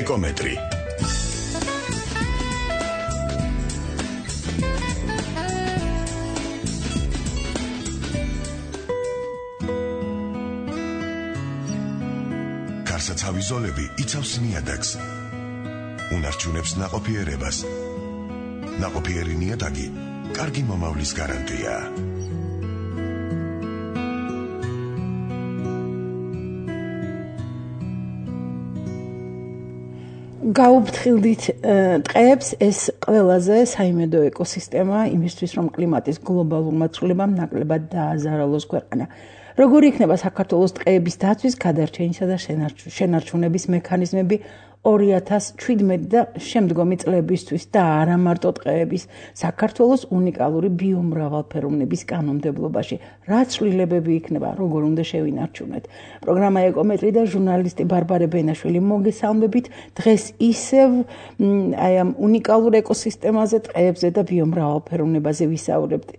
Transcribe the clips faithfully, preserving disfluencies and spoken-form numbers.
ეკომეტრი. გარსაცავი ზოლები იცავს ნიადაგს. უნარჩუნებს ნაყოფიერებას. ნაყოფიერი ნიადაგი კარგი მომავლის გარანტია. გაუფრთხილდით ტყეებს ეს ყველაზე საიმედო ეკოსისტემა იმისთვის რომ კლიმატის გლობალურმა ცვლილებამ ნაკლებად დააზარალოს ქვეყანა. როგორი იქნება საქართველოს ტყეების დაცვის, გადარჩენისა და შენარჩუნების მექანიზმები ორი ათას ჩვიდმეტი და შემდგომი წლებისთვის და არა მარტო ტყეების საქართველოს უნიკალური ბიომრავალფეროვნების კანონმდებლობაში რა ცვლილებები იქნება, როგორ უნდა შევინარჩუნოთ. პროგრამა ეკომეტრი და ჟურნალისტი ბარბარე ბენაშვილი მოგესალმებით. დღეს ისევ აი ამ უნიკალურ ეკოსისტემაზე, ტყეებზე და ბიომრავალფეროვნებაზე ვისაუბრებთ.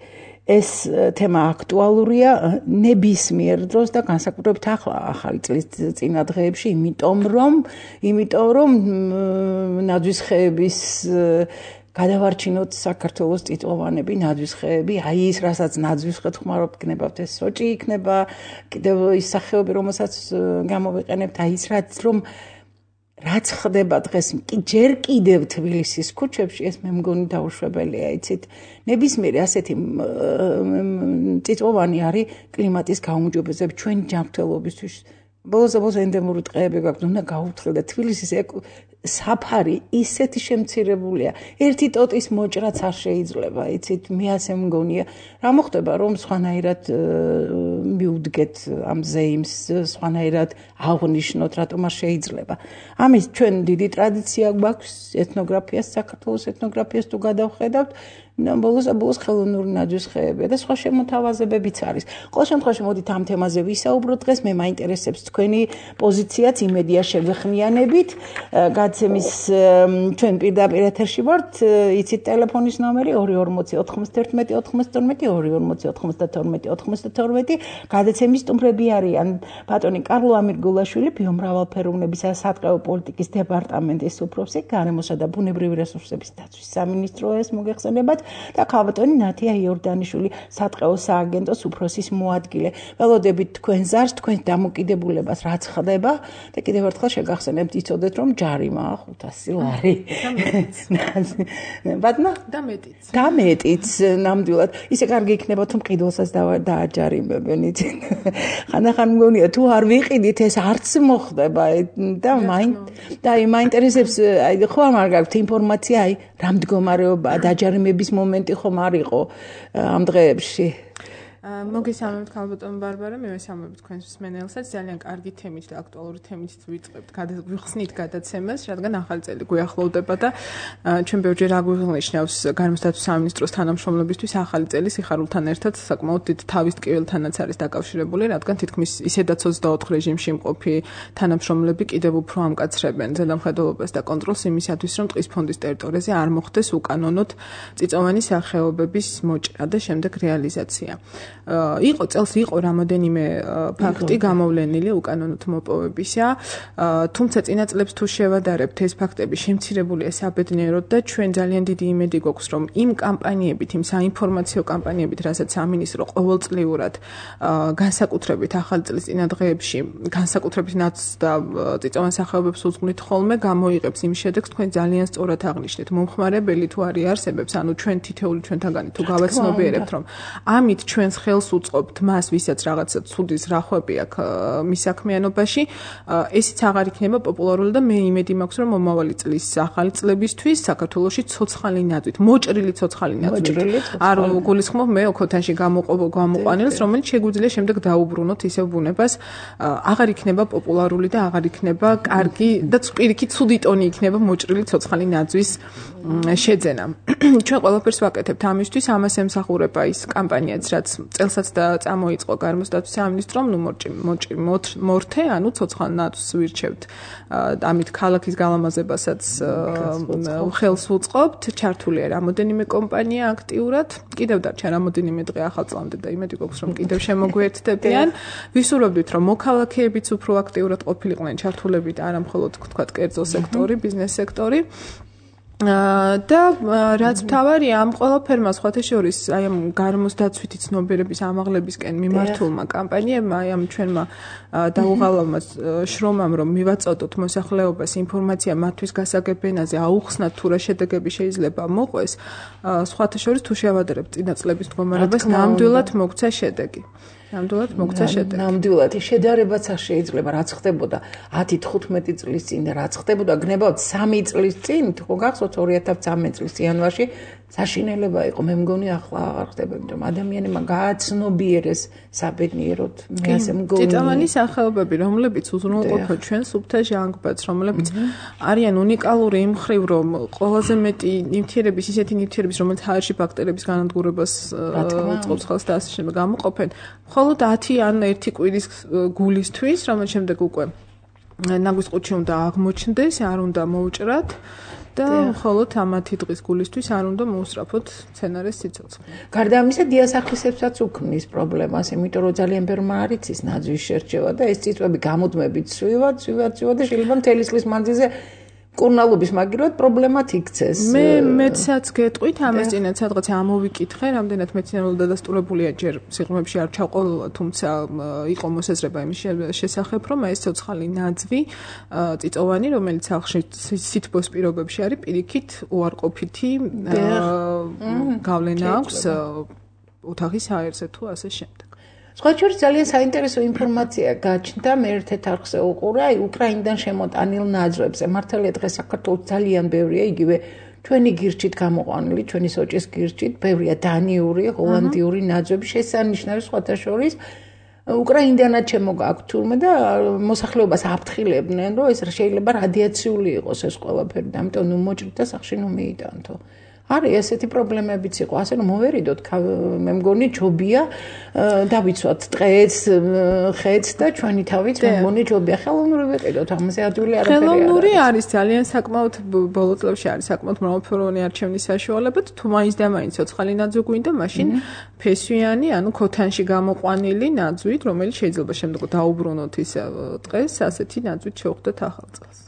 ეს თემა აქტუალურია ნებისმიერ დროს და განსაკუთრებით ახლა ახალი წლის წინა დღეებში, იმიტომ რომ იმიტომ რომ ნაძვის ხეების გადავარჩინოთ საქართველოს წიწვოვანები, ნაძვის ხეები, აი ის რასაც ნაძვის ხედ ხმარობთ, გნებავთ ეს სოჭი იქნება, კიდევ ის სახეობები, რომელსაც გამოვიყენებთ, აი ის რაც რომ რაც ხდება დღეს ჯერ კიდევ თბილისის ქუჩებში, ეს მე მგონი დაუშვებელია, იცით. ნებისმიერი ასეთი წიწვოვანი არის კლიმატის გაუმჯობესება ჩვენ ჯანმრთელობისთვის. ბოლოს-ბოლოს ენდემური ტყეები გვაქვს, უნდა გაუფრთხილდეთ. თბილისის საფარი ისეთი შემცირებულია. ერთი ტოტის მოჭრაც არ შეიძლება, იცით, მე ასე მგონია. რა მოხდება, რომ სხვანაირად მივუდგეთ ამ ზეიმს, სხვანაირად აღვნიშნოთ, რატომ არ შეიძლება. ამის ჩვენ დიდი ტრადიცია გვაქვს ეთნოგრაფიას, საქართველოს ეთნოგრაფიას თუ გადავხედავთ, ბოლოს და ბოლოს ხელოვნური ნაძვის ხეებია და სხვა შემოთავაზებებიც არის. ყოველ შემთხვევაში მოდით ამ თემაზე ვისაუბროთ დღეს, მე მაინტერესებს თქვენი პოზიციაც, იმედია შევეხმიანებით. გადაცემის ჩვენ პირდაპირ ეთერში ვართ, იცით ტელეფონის ნომერი ორი ორმოცი ოთხმოცდაერთმეტი ოთხმოცდაათმეტი ორი ორმოცი ოთხმოცდათორმეტი ოთხმოცდათორმეტი. გადაცემის სტუმრები არიან ბატონი კარლო ამირგულაშვილი, ბიომრავალფეროვნებისა და სატყეო პოლიტიკის დეპარტამენტის უფროსი, გარემოსა და ბუნებრივი რესურსების დაცვის სამინისტროს მოგეხსენებათ და ქალბატონი ნათია იორდანიშვილი, სატყეო სააგენტოს უფროსის მოადგილე. ველოდებით თქვენ ზარს, თქვენ დამოკიდებულებას რაც ხდება და კიდევ ერთხელ შეგახსენებთ, იცოდეთ რომ ჯარიმა ხუთასი ლარი. ბატონო? და მეტიც. და მეტიც ნამდვილად. ისე კარგი იქნება თუ მყიდველსაც დააჯარიმებენ, იცით. ხანდახან მგონია თუ არ ვიყიდით ეს არც მოხდება და მაინც და აი მაინტერესებს აი ხო არ გაქვთ ინფორმაცია აი რა მდგომარეობა დაჯარიმების მომენტი ხომ არ იყო ამ დღეებში? მოგესალმებით ქალბატონ ბარბარე, მე ვესალმებით თქვენს მსმენელსაც. ძალიან კარგი თემით და აქტუალური თემით ვიწყებთ, ვიხსნით გადაცემას, რადგან ახალი წელი გვიახლოვდება და ჩვენ ბევრჯერ აგვიღნიშნავს გარემოსდაცვის სამინისტროს თანამშრომლებისთვის ახალი წელი სიხარულთან ერთად საკმაოდ დიდ თავის ტკივილთანაც არის დაკავშირებული, რადგან თითქმის ისედაც ოცდაოთხ რეჟიმში მყოფი თანამშრომლები კიდევ უფრო ამკაცრებენ ზედამხედველობას და კონტროლს იმისათვის, რომ ტყის ფონდის ტერიტორიაზე არ მოხდეს უკანონოდ წიწვოვანი სახეობების მოჭრა და შემდეგ რეალიზაცია. იყო წელს იყო რამოდენიმე ფაქტი გამოვლენილი უკანონოდ მოპოვებისა, თუმცა წინა წლებს თუ შევადარებთ, ეს ფაქტები შემცირებულია საბედნიეროდ და ჩვენ ძალიან დიდი იმედი გვაქვს, რომ იმ კამპანიებით, იმ საინფორმაციო კამპანიებით, რასაც სამინისტრო ყოველწლიურად განსაკუთრებით ახალი წლის წინა დღეებში, განსაკუთრებით ნაძვს და წიწვოვან სახეობებს უძღვნით ხოლმე, გამოიღებს იმ შედეგს, თქვენ ძალიან სწორად აღნიშნეთ. მომხმარებელი თუ არის არსებობს, ანუ ჩვენ თითეული ჩვენთაგანი თუ გავაცნობიერებთ, რომ ამით ჩვენს ხელს უწყობთ მას, ვისაც რაღაცა ცუდის რახვები აქვს მის საქმიანობაში, ესიც აღარ იქნება პოპულარული და მე იმედი მაქვს, რომ მომავალი წლის ახალი წლებისთვის საქართველოში ცოცხალი ნაძვით, მოჭრილი ცოცხალი ნაძვით არ გულისხმობ მე ოქოთანში გამოყვანილს, რომელიც შეგვიძლია შემდეგ დაუბრუნოთ ისევ ბუნებას, აღარ იქნება პოპულარული და აღარ იქნება კარგი და პირიქით ცუდი ტონი იქნება მოჭრილი ცოცხალი ნაძვის შეძენა. ჩვენ ყველაფერს ვაკეთებთ ამისთვის, ამას ემსახურება ის კამპანიაც, რაც წელსაც და წამოიწყო გარემოსდაცვის სამინისტრომ, ნუ მოჭი მორთე, ანუ ცოცხალ ნაძვს ვირჩევთ. ამით ქალაქის გალამაზებასაც ხელს უწყობთ, ჩართულია რამოდენიმე კომპანია აქტიურად. კიდევ დარჩა რამოდენიმე დღე ახალ წლამდე და იმედი გვაქვს, რომ კიდევ შემოგვიერთდებიან. ვისურვებდით, რომ მოქალაქეებიც უფრო აქტიურად ყოფილიყვნენ ჩართულები და არა მხოლოდ თქვათ კერძო სექტორი, ბიზნეს სექტორი. და რაც მთავარია ამ ყველაფერმა სხვათა შორის აი ამ გარემოსდაცვითი ცნობიერების ამაღლებისკენ მიმართულმა კამპანიებმა აი ამ ჩვენმა დაუღალავმა შრომამ რომ მივაწოდოთ მოსახლეობას ინფორმაცია მათთვის გასაგებენაზე აუხსნათ თუ რა შედეგები შეიძლება მოყვეს სხვათა შორის თუ შევადარებთ წინა წლების მდგომარეობას ნამდვილად მოგცა შედეგი ნამდვილად მოგცა შედეგი. ნამდვილად შედარებაც არ შეიძლება რაც ხდებოდა ათი თხუთმეტი წლის წინ და რაც ხდებოდა გნებავთ სამი წლის წინ თუ გახსოვთ ორი ათას ცხრამეტი წლის იანვარში საშინელება იყო მე მგონი ახლა არ ხდება იმიტომ ადამიანებმა გააცნობიერეს საბედნიეროდ მე ასე მგონი წიწავანი სახეობები რომლებიც უზრუნველყოფენ ჩვენ სუფთა ჟანგბადს რომლებიც არიან უნიკალური იმ მხრივ რომ ყველაზე მეტი ნივთიერების ისეთი ნივთიერების რომელიც ჰაერში ბაქტერიების განადგურებას წყობს ხელს და ასე შემდეგ გამოყოფენ მხოლოდ ათი ან ერთი კვირის გულისთვის რომელიც შემდეგ უკვე ნაგვის ყუთში უნდა აღმოჩნდეს არ უნდა მოუჭრათ და მხოლოდ ამათი დღის გულისთვის არ უნდა მოუსწრაფოთ სცენარის სიცოცხლე. გარდა ამისა დიასახლისებსაც უქმნის პრობლემას, იმიტომ რომ ძალიან ბევრმა არ იცის ნაძვის შერჩევა და ეს წიწვები გამუდმებით ცვივად, ცვივად, ცვივად და შეიძლება მთელი წლის მანძილზე კურნალობის მაგივრად პრობლემათ იქცეს. მე მეცაც გეტყვით ამას წინათ სადღაც ამოვიკითხე, რამდენად მეცნიერულად დადასტურებულია ჯერ სიღრმეებში არ ჩაყოლოლა, თუმცა იყო მოსაზრება იმის შესახებ, რომ ეს ცოცხალი ნაძვი წიწოვანი, რომელიც ახში სითბოს პირობებში არის, პირიქით უარყოფითი გავლენა აქვს ოთახის აერზე თუ ასე შემდეგ. სხვა შორის ძალიან საინტერესო ინფორმაცია გაჩნდა მე ერთ-ერთ არხზე უყურე აი უკრაინიდან შემოტანილ ნაძვებზე მართალია დღეს საქართველოს ძალიან ბევრია იგივე ჩვენი გირჩით გამოყვანილი ჩვენი სოჭის გირჩით ბევრია დანიური ჰოლანდიური ნაძვები შესანიშნავი სხვათა შორის უკრაინიდანაც შემოგაქვთ თურმე და მოსახლეობას აფრთხილებდნენ რომ ეს შეიძლება რადიაციული იყოს ეს ყველაფერი და ამიტომ ნუ მოჭრით და სახში ნუ მიიტანთო არის ესეთი პრობლემებიც იყო, ასე რომ მოვერიდოთ, მე მგონი ჯობია დავიცვათ ტყეც, ხეც და ჩვენი თავით მე მგონი ჯობია ხელოვნური ვიყიდოთ, ამაზე ადვილი არაფერი არ არის. ხელოვნური არის ძალიან საკმაოდ ბოლო წლებში არის საკმაოდ მრავალფეროვანი არჩევნის საშუალებად, თუ მაინც და მაინც ცოცხალი ნაძვი გვინდა, მაშინ ფესვიანი, ანუ ქოთანში გამოყვანილი ნაძვით, რომელიც შეიძლება შემდეგ დაუბრუნოთ ის ტყეს, ასეთი ნაძვით შევხვდეთ ახალ წელს.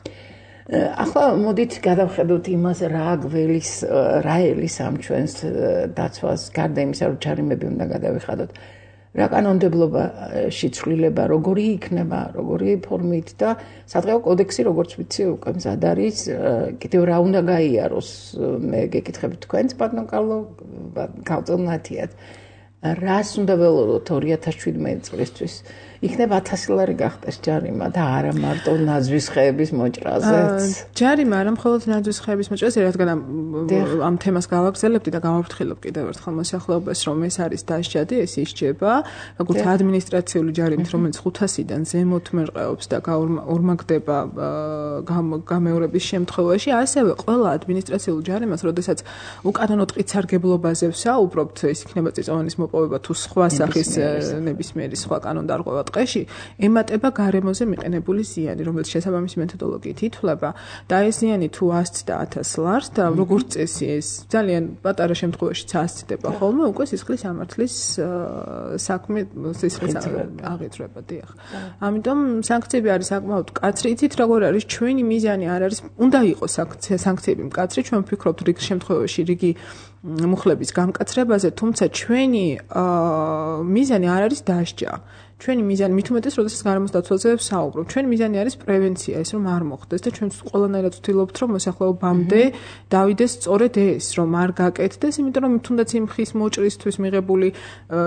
ახლა მოდით გადავხედოთ იმას რა გველის რა ელის ამ ჩვენს დაცვას გარდა იმისა რომ ჯარიმები უნდა გადავიხადოთ რა კანონმდებლობა შეცვლილება როგორი იქნება როგორი ფორმით და სადღეო კოდექსი როგორც ვიცი უკვე მზად არის კიდევ რა უნდა გაიაროს მე გეკითხებით თქვენს ბატონ კარლო გავწონათიათ რას უნდა ველოდოთ ორი ათას შვიდმეტი წლისთვის იქნება ათასი ლარი გახდეს ჯარიმა და არა მარტო ნაძვის ხეების მოჭრაზეც. ჯარიმა არა მხოლოდ ნაძვის ხეების მოჭრაზე, რადგან ამ თემას გავაგრძელებდი და გავაფრთხილებ კიდევ ერთხელ მოსახლეობას, რომ ეს არის დასჯადი, ეს ისჯება, როგორც ადმინისტრაციული ჯარიმით, რომელიც ხუთასიდან ზემოთ მერყეობს და ორმაგდება გამეორების შემთხვევაში, ასევე ყველა ადმინისტრაციულ ჯარიმას, როდესაც უკანონო ტყით სარგებლობაზე ვსაუბრობთ, ეს იქნება წიწვოვანის მოპოვება თუ სხვა სახის ნებისმიერი სხვა კანონდარღვევა ტყეში ემატება გარემოზე მიყენებული ზიანი, რომელიც შესაბამისი მეთოდოლოგიით ითვლება და ეს ზიანი თუ ასცდა ათას ლარს და როგორც წესი ეს ძალიან πატარა შემთხვევაშიც ასცდება ხოლმე, უკვე სისხლის ამართლის საქმე სისხლის აღიძვრება, დიახ. ამიტომ სანქციები არის საკმაოდ მკაცრი, იცით როგორ არის ჩვენი მიზანი არ არის, უნდა იყოს სანქციები მკაცრი, ჩვენ ვფიქრობთ რიგ შემთხვევაში რიგი მუხლების გამკაცრებაზე, თუმცა ჩვენი მიზანი არ არის დასჯა. ჩვენი მიზანი მით უმეტეს, როდესაც გარემოსდაცვაზე ვსაუბრობ. ჩვენი მიზანი არის პრევენცია, ეს რომ არ მოხდეს და ჩვენ ყველანაირად ვცდილობთ, რომ მოსახლეობამდე დავიდეს სწორედ ეს, რომ არ გაკეთდეს, იმიტომ რომ თუნდაც იმ ხის მოჭრისთვის მიღებული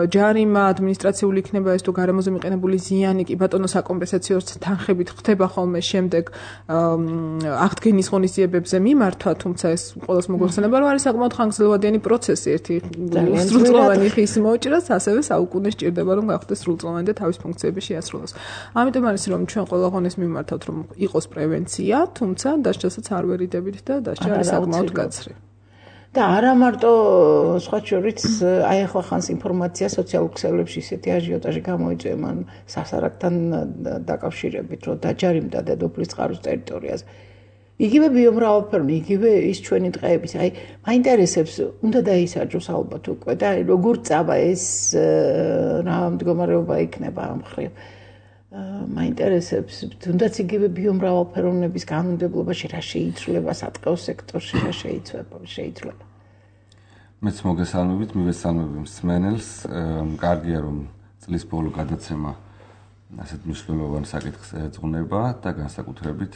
ჯარიმა, ადმინისტრაციული იქნება ეს თუ გარემოზე მიყენებული ზიანი კი ბატონო საკომპენსაციო თანხებით ხდება ხოლმე შემდეგ აღდგენის ღონისძიებებზე მიმართვა, თუმცა ეს ყოველს მოგვეხსენება, რომ არის საკმაოდ ხანგრძლივადიანი პროცესი, ერთი სრულწლოვანი ხის მოჭრას, ასევე საუკუნე სჭირდება, რომ გახდეს სრულწლოვანი და თავის ფუნქციები შეასრულოს. ამიტომ არის რომ ჩვენ ყველა ღონეს მიმართავთ რომ იყოს პრევენცია, თუმცა დასჯასაც არ ვერიდებით და დასჯა არის საკმაოდ მკაცრი. და არა მარტო სხვა შორის აი ახლა ხანს ინფორმაცია სოციალურ ქსელებში ისეთი აჟიოტაჟი გამოიწვია მან სასარგთან დაკავშირებით, რომ დაჯარიმდა დედოფლის წყაროს ტერიტორიაზე. იგივე ბიომრავალფეროვნი, იგივე ის ჩვენი დღეების, აი მაინტერესებს, უნდა დაისაჯოს ალბათ უკვე და როგორ წავა ეს რა მდგომარეობა იქნება ამ ხრივ. მაინტერესებს, თუნდაც იგივე ბიომრავალფეროვნების განმდებლობაში რა შეიცვლება სატყეო სექტორში, რა შეიცვლება, შეიცვლება. მეც მოგესალმებით, მივესალმები მსმენელს, კარგია რომ წლის ბოლო გადაცემა ასეთ მნიშვნელოვან საკითხს ეძღვნება და განსაკუთრებით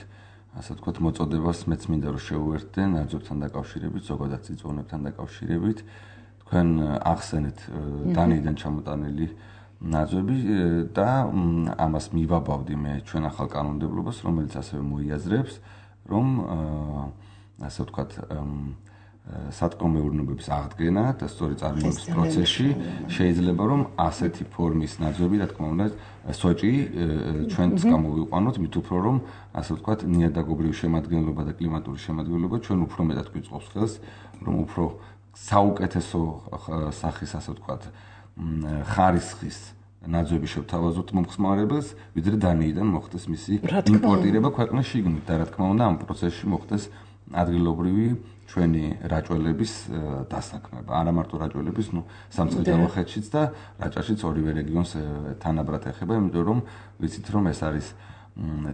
ასე ვთქვათ, მოწოდებას მეც მინდა რომ შევუერთდე ნაძვებთან დაკავშირებით, ზოგადად წიწვოვებთან დაკავშირებით. თქვენ ახსენეთ დანიიდან ჩამოტანილი ნაძვები და ამას მივაბავდი მე ჩვენ ახალ კანონმდებლობას, რომელიც ასევე მოიაზრებს, რომ ასე ვთქვათ, სატყეო მეურნეობების აღდგენა და სწორი წარმოების პროცესში შეიძლება რომ ასეთი ფორმის ნაძვები, რა თქმა უნდა, სოჭი ჩვენც გამოვიყვანოთ, მით უფრო რომ ასე ვთქვათ, ნიადაგობრივი შემადგენლობა და კლიმატური შემადგენლობა ჩვენ უფრო მეტად გვიწყობს ხელს, რომ უფრო საუკეთესო სახის ასე ვთქვათ, ხარისხის ნაძვები შევთავაზოთ მომხმარებელს, ვიდრე დანიიდან მოხდეს მისი იმპორტირება ქვეყნის შიგნით და რა თქმა უნდა, ამ პროცესში მოხდეს ადგილობრივი ჩვენი რაჭველების დასაქმება. არა მარტო რაჭველების, ნუ სამცხე-ჯავახეთშიც და რაჭაშიც ორივე რეგიონს თანაბრად ეხება, იმიტომ რომ ვიცით რომ ეს არის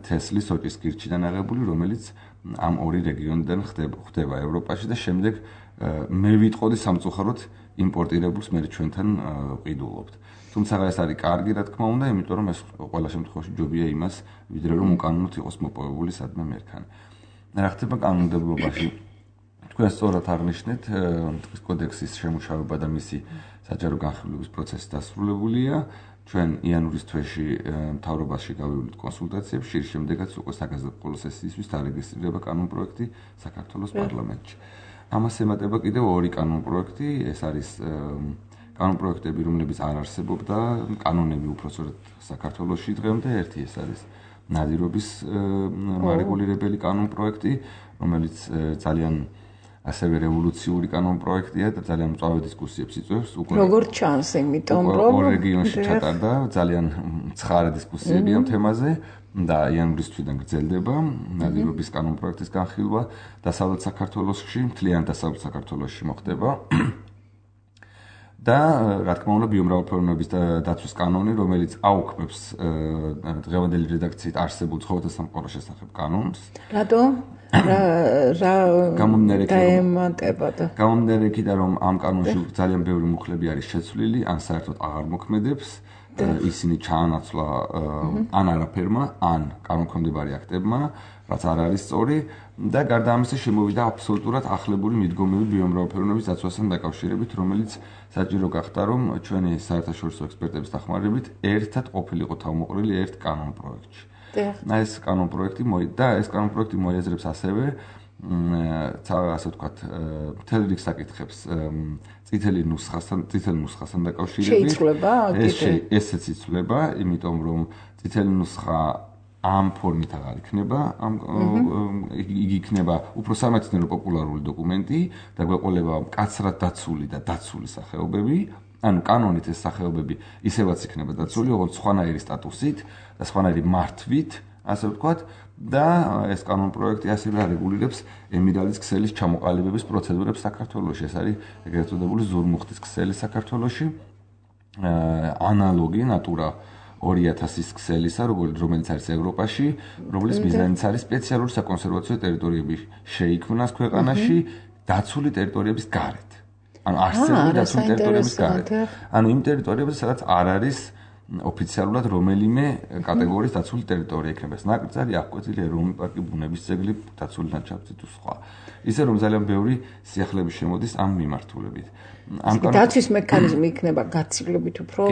თესლის სოჭის კირჩიდან აღებული, რომელიც ამ ორი რეგიონიდან ხდება ევროპაში და შემდეგ მე ვიტყოდი სამწუხაროდ იმპორტირებულს მე ჩვენთან ვყიდულობთ. თუმცა ეს არის კარგი, რა თქმა უნდა, იმიტომ რომ ეს ყველა შემთხვევაში ჯობია იმას, ვიდრე რომ უკანონოდ იყოს მოპოვებული სადმე მერქანი. რა ხდება კანონმდებლობაში? თქვენ სწორად აღნიშნეთ, ტყის კოდექსის შემუშავება და მისი საჯარო განხილვის პროცესი დასრულებულია. ჩვენ იანვრის თვეში მთავრობაში გავივლით კონსულტაციებში, შემდეგაც უკვე საგაზაფხულო სესიისთვის დარეგისტრირება კანონპროექტი საქართველოს პარლამენტში. ამას ემატება კიდევ ორი კანონპროექტი, ეს არის კანონპროექტები, რომლებიც არ არსებობდა, კანონები უпроსორად საქართველოში დღემდე, ერთი ეს არის ნადირობის მარეგულირებელი კანონპროექტი, რომელიც ძალიან ასევე რევოლუციური კანონპროექტია და ძალიან მწვავე დისკუსიებს იწვევს. როგორც ჩანს, იმიტომ რომ ორ რეგიონში ჩატარდა ძალიან ცხარე დისკუსიები ამ თემაზე და იანვრის თვიდან გრძელდება ნადირობის კანონპროექტის განხილვა დასავლეთ საქართველოში, მთლიან დასავლეთ საქართველოში მოხდება. და რა თქმა უნდა ბიომრავალფეროვნების დაცვის კანონი, რომელიც აუქმებს დღევანდელი რედაქციით არსებულ ცხოველთა სამყაროს შესახებ კანონს. რატო? რა რა დაემატებოდა? გამომდინარე იქიდან რომ ამ კანონში ძალიან ბევრი მუხლები არის შეცვლილი, ან საერთოდ აღარ მოქმედებს, ისინი ჩაანაცვლა ან არაფერმა, ან კანონქვემდებარე აქტებმა, რაც არ არის სწორი და გარდა ამისა შემოვიდა აბსოლუტურად ახლებული მიდგომები ბიომრავალფეროვნების დაცვასთან დაკავშირებით, რომელიც საჭირო გახდა, რომ ჩვენი საერთაშორისო ექსპერტების დახმარებით ერთად ყოფილიყო თავმოყრილი ერთ კანონპროექტში. ეს კანონპროექტი და ეს კანონპროექტი მოიაზრებს ასევე ასე ვთქვათ, მთელ რიგ საკითხებს წითელი ნუსხასთან, წითელი ნუსხასთან დაკავშირებით. შეიცვლება კიდე. ესეც იცვლება, იმიტომ რომ წითელი ნუსხა ამ ფორმით აღარ იქნება, ამ იგი იქნება უფრო სამეცნიერო პოპულარული დოკუმენტი და გვეყოლება მკაცრად დაცული და დაცული სახეობები. ანუ კანონით ეს სახეობები ისევაც იქნება დაცული, როგორც სხვანაირი სტატუსით და სხვანაირი მართვით, ასე ვთქვათ, და ეს კანონპროექტი ასევე არეგულირებს ემირალის ქსელის ჩამოყალიბების პროცედურებს საქართველოში. ეს არის ეგრეთ წოდებული ზურმუხტის ქსელი საქართველოში, ანალოგი ნატურა ორი ათასის ქსელისა, რომელიც არის ევროპაში, რომლის მიზანიც არის სპეციალური საკონსერვაციო ტერიტორიები შეიქმნას ქვეყანაში დაცული ტერიტორიების გარეთ. ანუ არსებული დაცული ტერიტორიების გარეთ. ანუ იმ ტერიტორიებზე, სადაც არ არის ოფიციალურად რომელიმე კატეგორიის დაცული ტერიტორია იქნება. ეს ნაკრძალი, აღკვეთილი ეროვნული პარკი, ბუნების ძეგლი, დაცული ლანდშაფტი თუ სხვა. ისე რომ ძალიან ბევრი სიახლეები შემოდის ამ მიმართულებით. ამ დაცვის მექანიზმი იქნება გაცილებით უფრო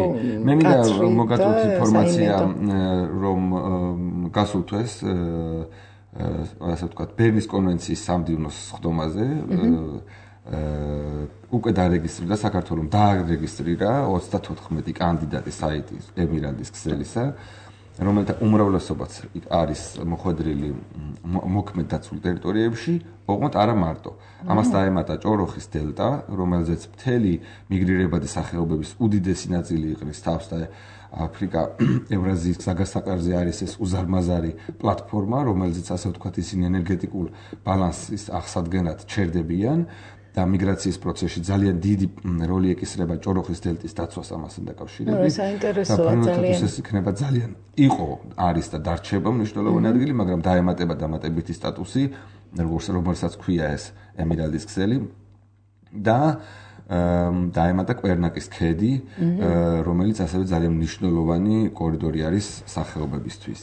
მე მინდა მოგაწოდოთ ინფორმაცია, რომ გასულ თვეს ასე ვთქვათ, ბერნის კონვენციის სამდივნოს სხდომაზე უკვე დარეგისტრირდა საქართველოს დაარეგისტრირა ოცდათოთხმეტი კანდიდატი საიტის ემირალის ქსელისა რომელთა უმრავლესობაც არის მოხვედრილი მოქმედ დაცულ ტერიტორიებში, ოღონდ არა მარტო. ამას დაემატა ჭოროხის დელტა, რომელზეც მთელი მიგრირებადი სახეობების უდიდესი ნაწილი იყრის თავს და აფრიკა ევრაზიის გზაგასაყარზე არის ეს უზარმაზარი პლატფორმა, რომელზეც ასე ვთქვათ ისინი ენერგეტიკულ ბალანსის აღსადგენად ჩერდებიან. და მიგრაციის პროცესში ძალიან დიდი როლი ეკისრება ჭოროხის დელტის დაცვას ამასთან დაკავშირებით. საინტერესოა ძალიან. ეს იქნება ძალიან იყო, არის და დარჩება მნიშვნელოვანი ადგილი, მაგრამ დაემატება დამატებითი სტატუსი, როგორც რომელსაც ქვია ეს ემირალდის ქსელი და დაემატა კვერნაკის ქედი, რომელიც ასევე ძალიან მნიშვნელოვანი კორიდორი არის სახეობებისთვის.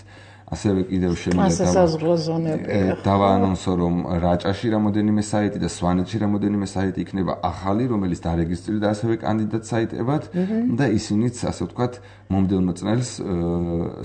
ასევე კიდევ შემიძლია დავაანონსო, რომ რაჭაში რამოდენიმე საიტი და სვანეთში რამოდენიმე საიტი იქნება ახალი, რომელიც დარეგისტრირდა ასევე კანდიდატ საიტებად და ისინიც, ასე ვთქვათ, მომდევნო წელს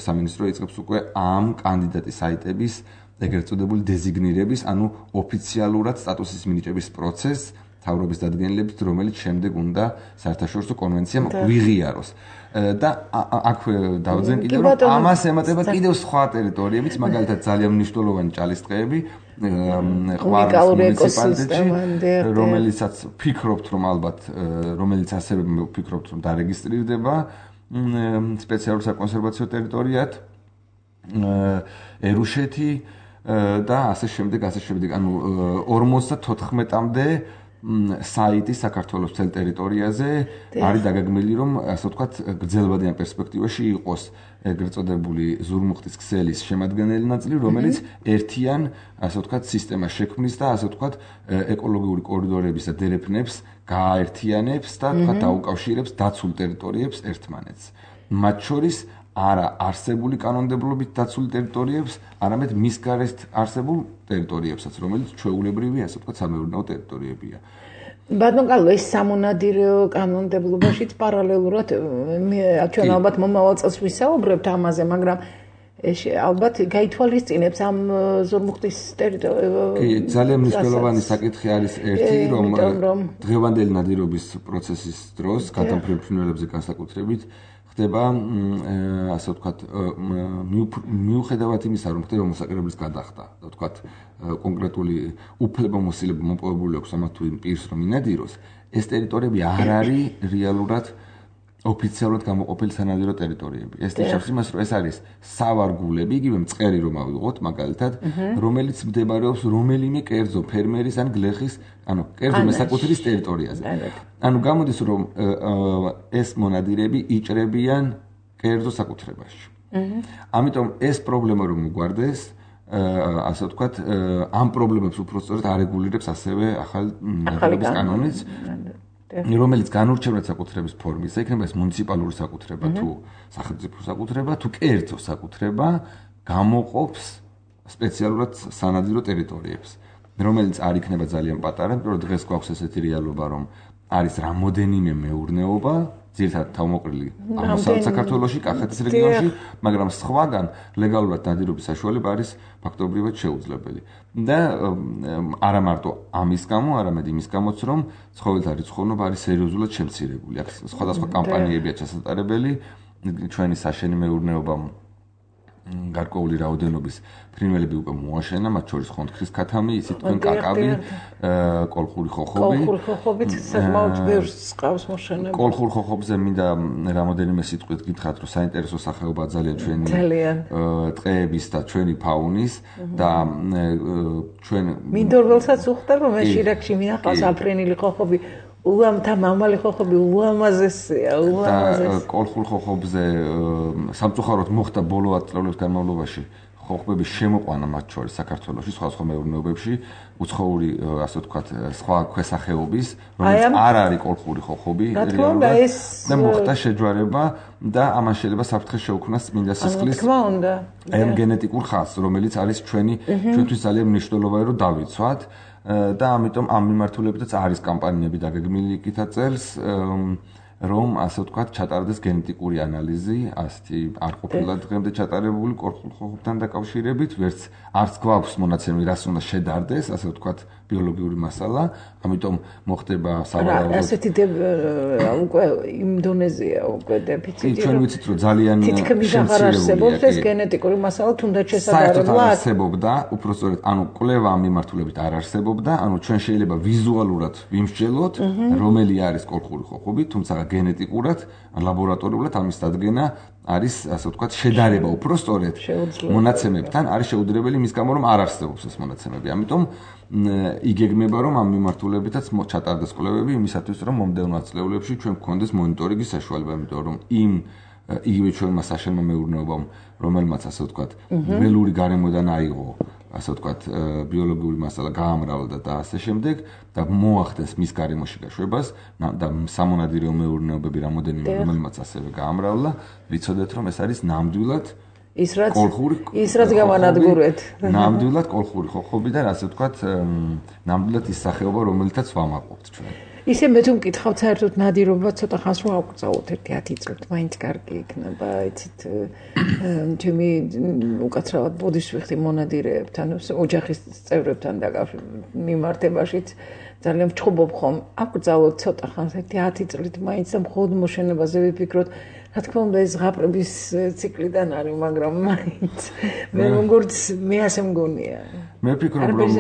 სამინისტრო იწყებს უკვე ამ კანდიდატის საიტების ეგრეთ წოდებული დეზიგნირების, ანუ ოფიციალურად სტატუსის მინიჭების პროცესს თავრობის დადგენილებით, რომელიც შემდეგ უნდა საერთაშორისო კონვენციამ ვიღიაროს. და აქვე დავძენ კიდევ რომ ამას ემატება კიდევ სხვა ტერიტორიებიც, მაგალითად ძალიან მნიშვნელოვანი ჭალის ტყეები, ყვარლის მუნიციპალიტეტში, რომელიცაც ფიქრობთ, რომ ალბათ, რომელიც ასევე ფიქრობთ, რომ დარეგისტრირდება სპეციალურ საკონსერვაციო ტერიტორიად, ერუშეთი და ასე შემდეგ, ასე შემდეგ, ანუ ორმოცდათოთხმეტამდე საიტი საქართველოს მთელ ტერიტორიაზე არის დაგეგმილი, რომ ასე ვთქვათ, გრძელვადიან პერსპექტივაში იყოს ეგრეთ წოდებული ზურმუხტის ქსელის შემადგენელი ნაწილი, რომელიც ერთიან, ასე ვთქვათ, სისტემას შექმნის და ასე ვთქვათ, ეკოლოგიური კორიდორების და დერეფნებს გააერთიანებს და თქვა დაუკავშირებს დაცულ ტერიტორიებს ერთმანეთს. მათ შორის არა არსებული კანონმდებლობით დაცული ტერიტორიებს, არამედ მის გარეთ არსებულ ტერიტორიებსაც, რომელიც ჩვეულებრივი, ასე ვთქვათ, სამეურნეო ტერიტორიებია. ბატონ კალო, ეს სამონადირეო კანონმდებლობაშიც პარალელურად ჩვენ ალბათ მომავალ წელს ვისაუბრებთ ამაზე, მაგრამ ეს ალბათ გაითვალისწინებს ამ ზურმუხტის ტერიტორიას. კი, ძალიან მნიშვნელოვანი საკითხი არის ერთი, რომ დღევანდელი ნადირობის პროცესის დროს გადამფრენ ფრინველებზე განსაკუთრებით ხდება, ასე ვთქვათ, მიუხედავად იმისა, რომ ხდება მოსაკრებლის გადახდა, და ვთქვათ, კონკრეტული უფლებამოსილება მოპოვებული აქვს ამათ თუ იმ პირს, რომ ინადიროს, ეს ტერიტორიები არ არის რეალურად ოფიციალურად გამოყოფილი სანადირო ტერიტორიები. ეს ნიშნავს იმას, რომ ეს არის სავარგულები, იგივე მწყერი რომ ავიღოთ, მაგალითად, რომელიც მდებარეობს რომელიმე კერძო ფერმერის ან გლეხის, ანუ კერძო მესაკუთრის ტერიტორიაზე. ანუ გამოდის, რომ ეს მონადირეები იჭრებიან კერძო საკუთრებაში. ამიტომ ეს პრობლემა რომ მოგვარდეს, ასე ვთქვათ, ამ პრობლემებს უпростоრად არეგულირებს ასევე ახალი ნადირობის კანონიც. რომელიც განურჩევნად საკუთრების ფორმის, იქნება ეს მუნიციპალური საკუთრება თუ სახელმწიფო საკუთრება თუ კერძო საკუთრება, გამოყოფს სპეციალურად სანადირო ტერიტორიებს, რომელიც არ იქნება ძალიან პატარა, იმიტომ რომ დღეს გვაქვს ესეთი რეალობა, რომ არის რამოდენიმე მეურნეობა, ძირითადად თავმოყრილი აღმოსავლეთ საქართველოში, კახეთის რეგიონში, მაგრამ სხვაგან ლეგალურად ნადირობის საშუალება არის ფაქტობრივად შეუძლებელი. და არა მარტო ამის გამო, არამედ იმის გამოც, რომ ცხოველთა რიცხოვნობა არის სერიოზულად შემცირებული. აქ სხვადასხვა კამპანიებია ჩასატარებელი, ჩვენი საშენი მეურნეობა გარკვეული რაოდენობის ფრინველები უკვე მოაშენა, მათ შორის ხონთხრის ქათამი, ისიც თქვენ კაკაბი, კოლხური ხოხობი. კოლხური ხოხობით საკმაოდ ბევრს ყავს მოშენება. კოლხურ ხოხობზე მინდა რამოდენიმე სიტყვით გითხრათ, რომ საინტერესო სახეობა ძალიან ჩვენი ტყეების და ჩვენი ფაუნის და ჩვენ მინდორველსაც უხდება, მე შირაკში მინახავს აფრენილი ხოხობი. უამთა მამალი ხოხობი უამაზესია, უამაზეს. და კოლხურ ხოხობზე სამწუხაროდ მოხდა ბოლო ათ წლების განმავლობაში ხოხბების შემოყვანა მათ შორის საქართველოში, სხვადასხვა მეურნეობებში, უცხოური, ასე ვთქვათ, სხვა ქვესახეობის, რომელიც არ არის კოლხური ხოხობი, და მოხდა შეჯვარება და ამან შეიძლება საფრთხე შეუქმნას წმინდა სისხლის ამ გენეტიკურ ხაზს, რომელიც არის ჩვენი ჩვენთვის ძალიან მნიშვნელოვანი, რომ დავიცვათ. და ამიტომ ამ მიმართულებითაც არის კამპანიები დაგეგმილი იქითა წელს რომ ასე ვთქვათ, ჩატარდეს გენეტიკური ანალიზი, ასეთი არ ყოფილა დღემდე ჩატარებული კორხობთან დაკავშირებით, ვერც არც გვაქვს მონაცემები, რას უნდა შედარდეს, ასე ვთქვათ, ბიოლოგიური მასალა, ამიტომ მოხდება სავარაუდოდ ასეთი უკვე იმ დონეზეა უკვე დეფიციტი. ჩვენ ვიცით, რომ ძალიან თითქმის აღარ არსებობს ეს გენეტიკური მასალა, თუნდაც შესაძლებლად არსებობდა, უпростоრეთ, ანუ კვლევა ამ მიმართულებით არ არსებობდა, ანუ ჩვენ შეიძლება ვიზუალურად ვიმსჯელოთ, რომელი არის კოლხური ხოხობი, თუმცა გენეტიკურად, ლაბორატორიულად ამის დადგენა არის, ასე ვთქვათ, შედარება უпростоრეთ მონაცემებთან არის შეუძლებელი მის გამო რომ არ არსებობს ეს მონაცემები. ამიტომ იგეგმება რომ ამ მიმართულებითაც ჩატარდეს კვლევები იმისათვის რომ მომდევნო ათწლეულებში ჩვენ გვქონდეს მონიტორინგის საშუალება, იმიტომ რომ იმ იგივე ჩვენმა საშემო მეურნეობამ, რომელმაც ასე ვთქვათ, ველური გარემოდან აიღო, ასე ვთქვათ, ბიოლოგიური მასალა გაამრავლდა და ასე შემდეგ და მოახდენს მის გარემოში გაშვებას და სამონადირეო მეურნეობები რამოდენიმე რომელმაც ასევე გაამრავლა, ვიცოდეთ რომ ეს არის ნამდვილად ის რაც ის რაც გამანადგურეთ. ნამდვილად კოლხური ხოხობი და ასე ვთქვათ, ნამდვილად ის სახეობა, რომელთაც ვამაყობთ ჩვენ. ისე მე თუ მკითხავთ საერთოდ ნადირობა ცოტა ხანს რომ ავკრძალოთ ერთი ათი წლით, მაინც კარგი იქნება, იცით, ჩემი უკაცრავად ბოდიშვიხტი მონადირეებთან, ოჯახის წევრებთან დაკავშირებით მიმართებაშიც ძალიან ვჩხუბობ ხომ, ავკრძალოთ ცოტა ხანს ერთი ათი წლით მაინც და მხოლოდ მოშენებაზე ვიფიქროთ. რა თქმა უნდა ეს ზღაპრების ციკლიდან არის, მაგრამ მაინც მე როგორც მე ასე მგონია. მე ვფიქრობ რომ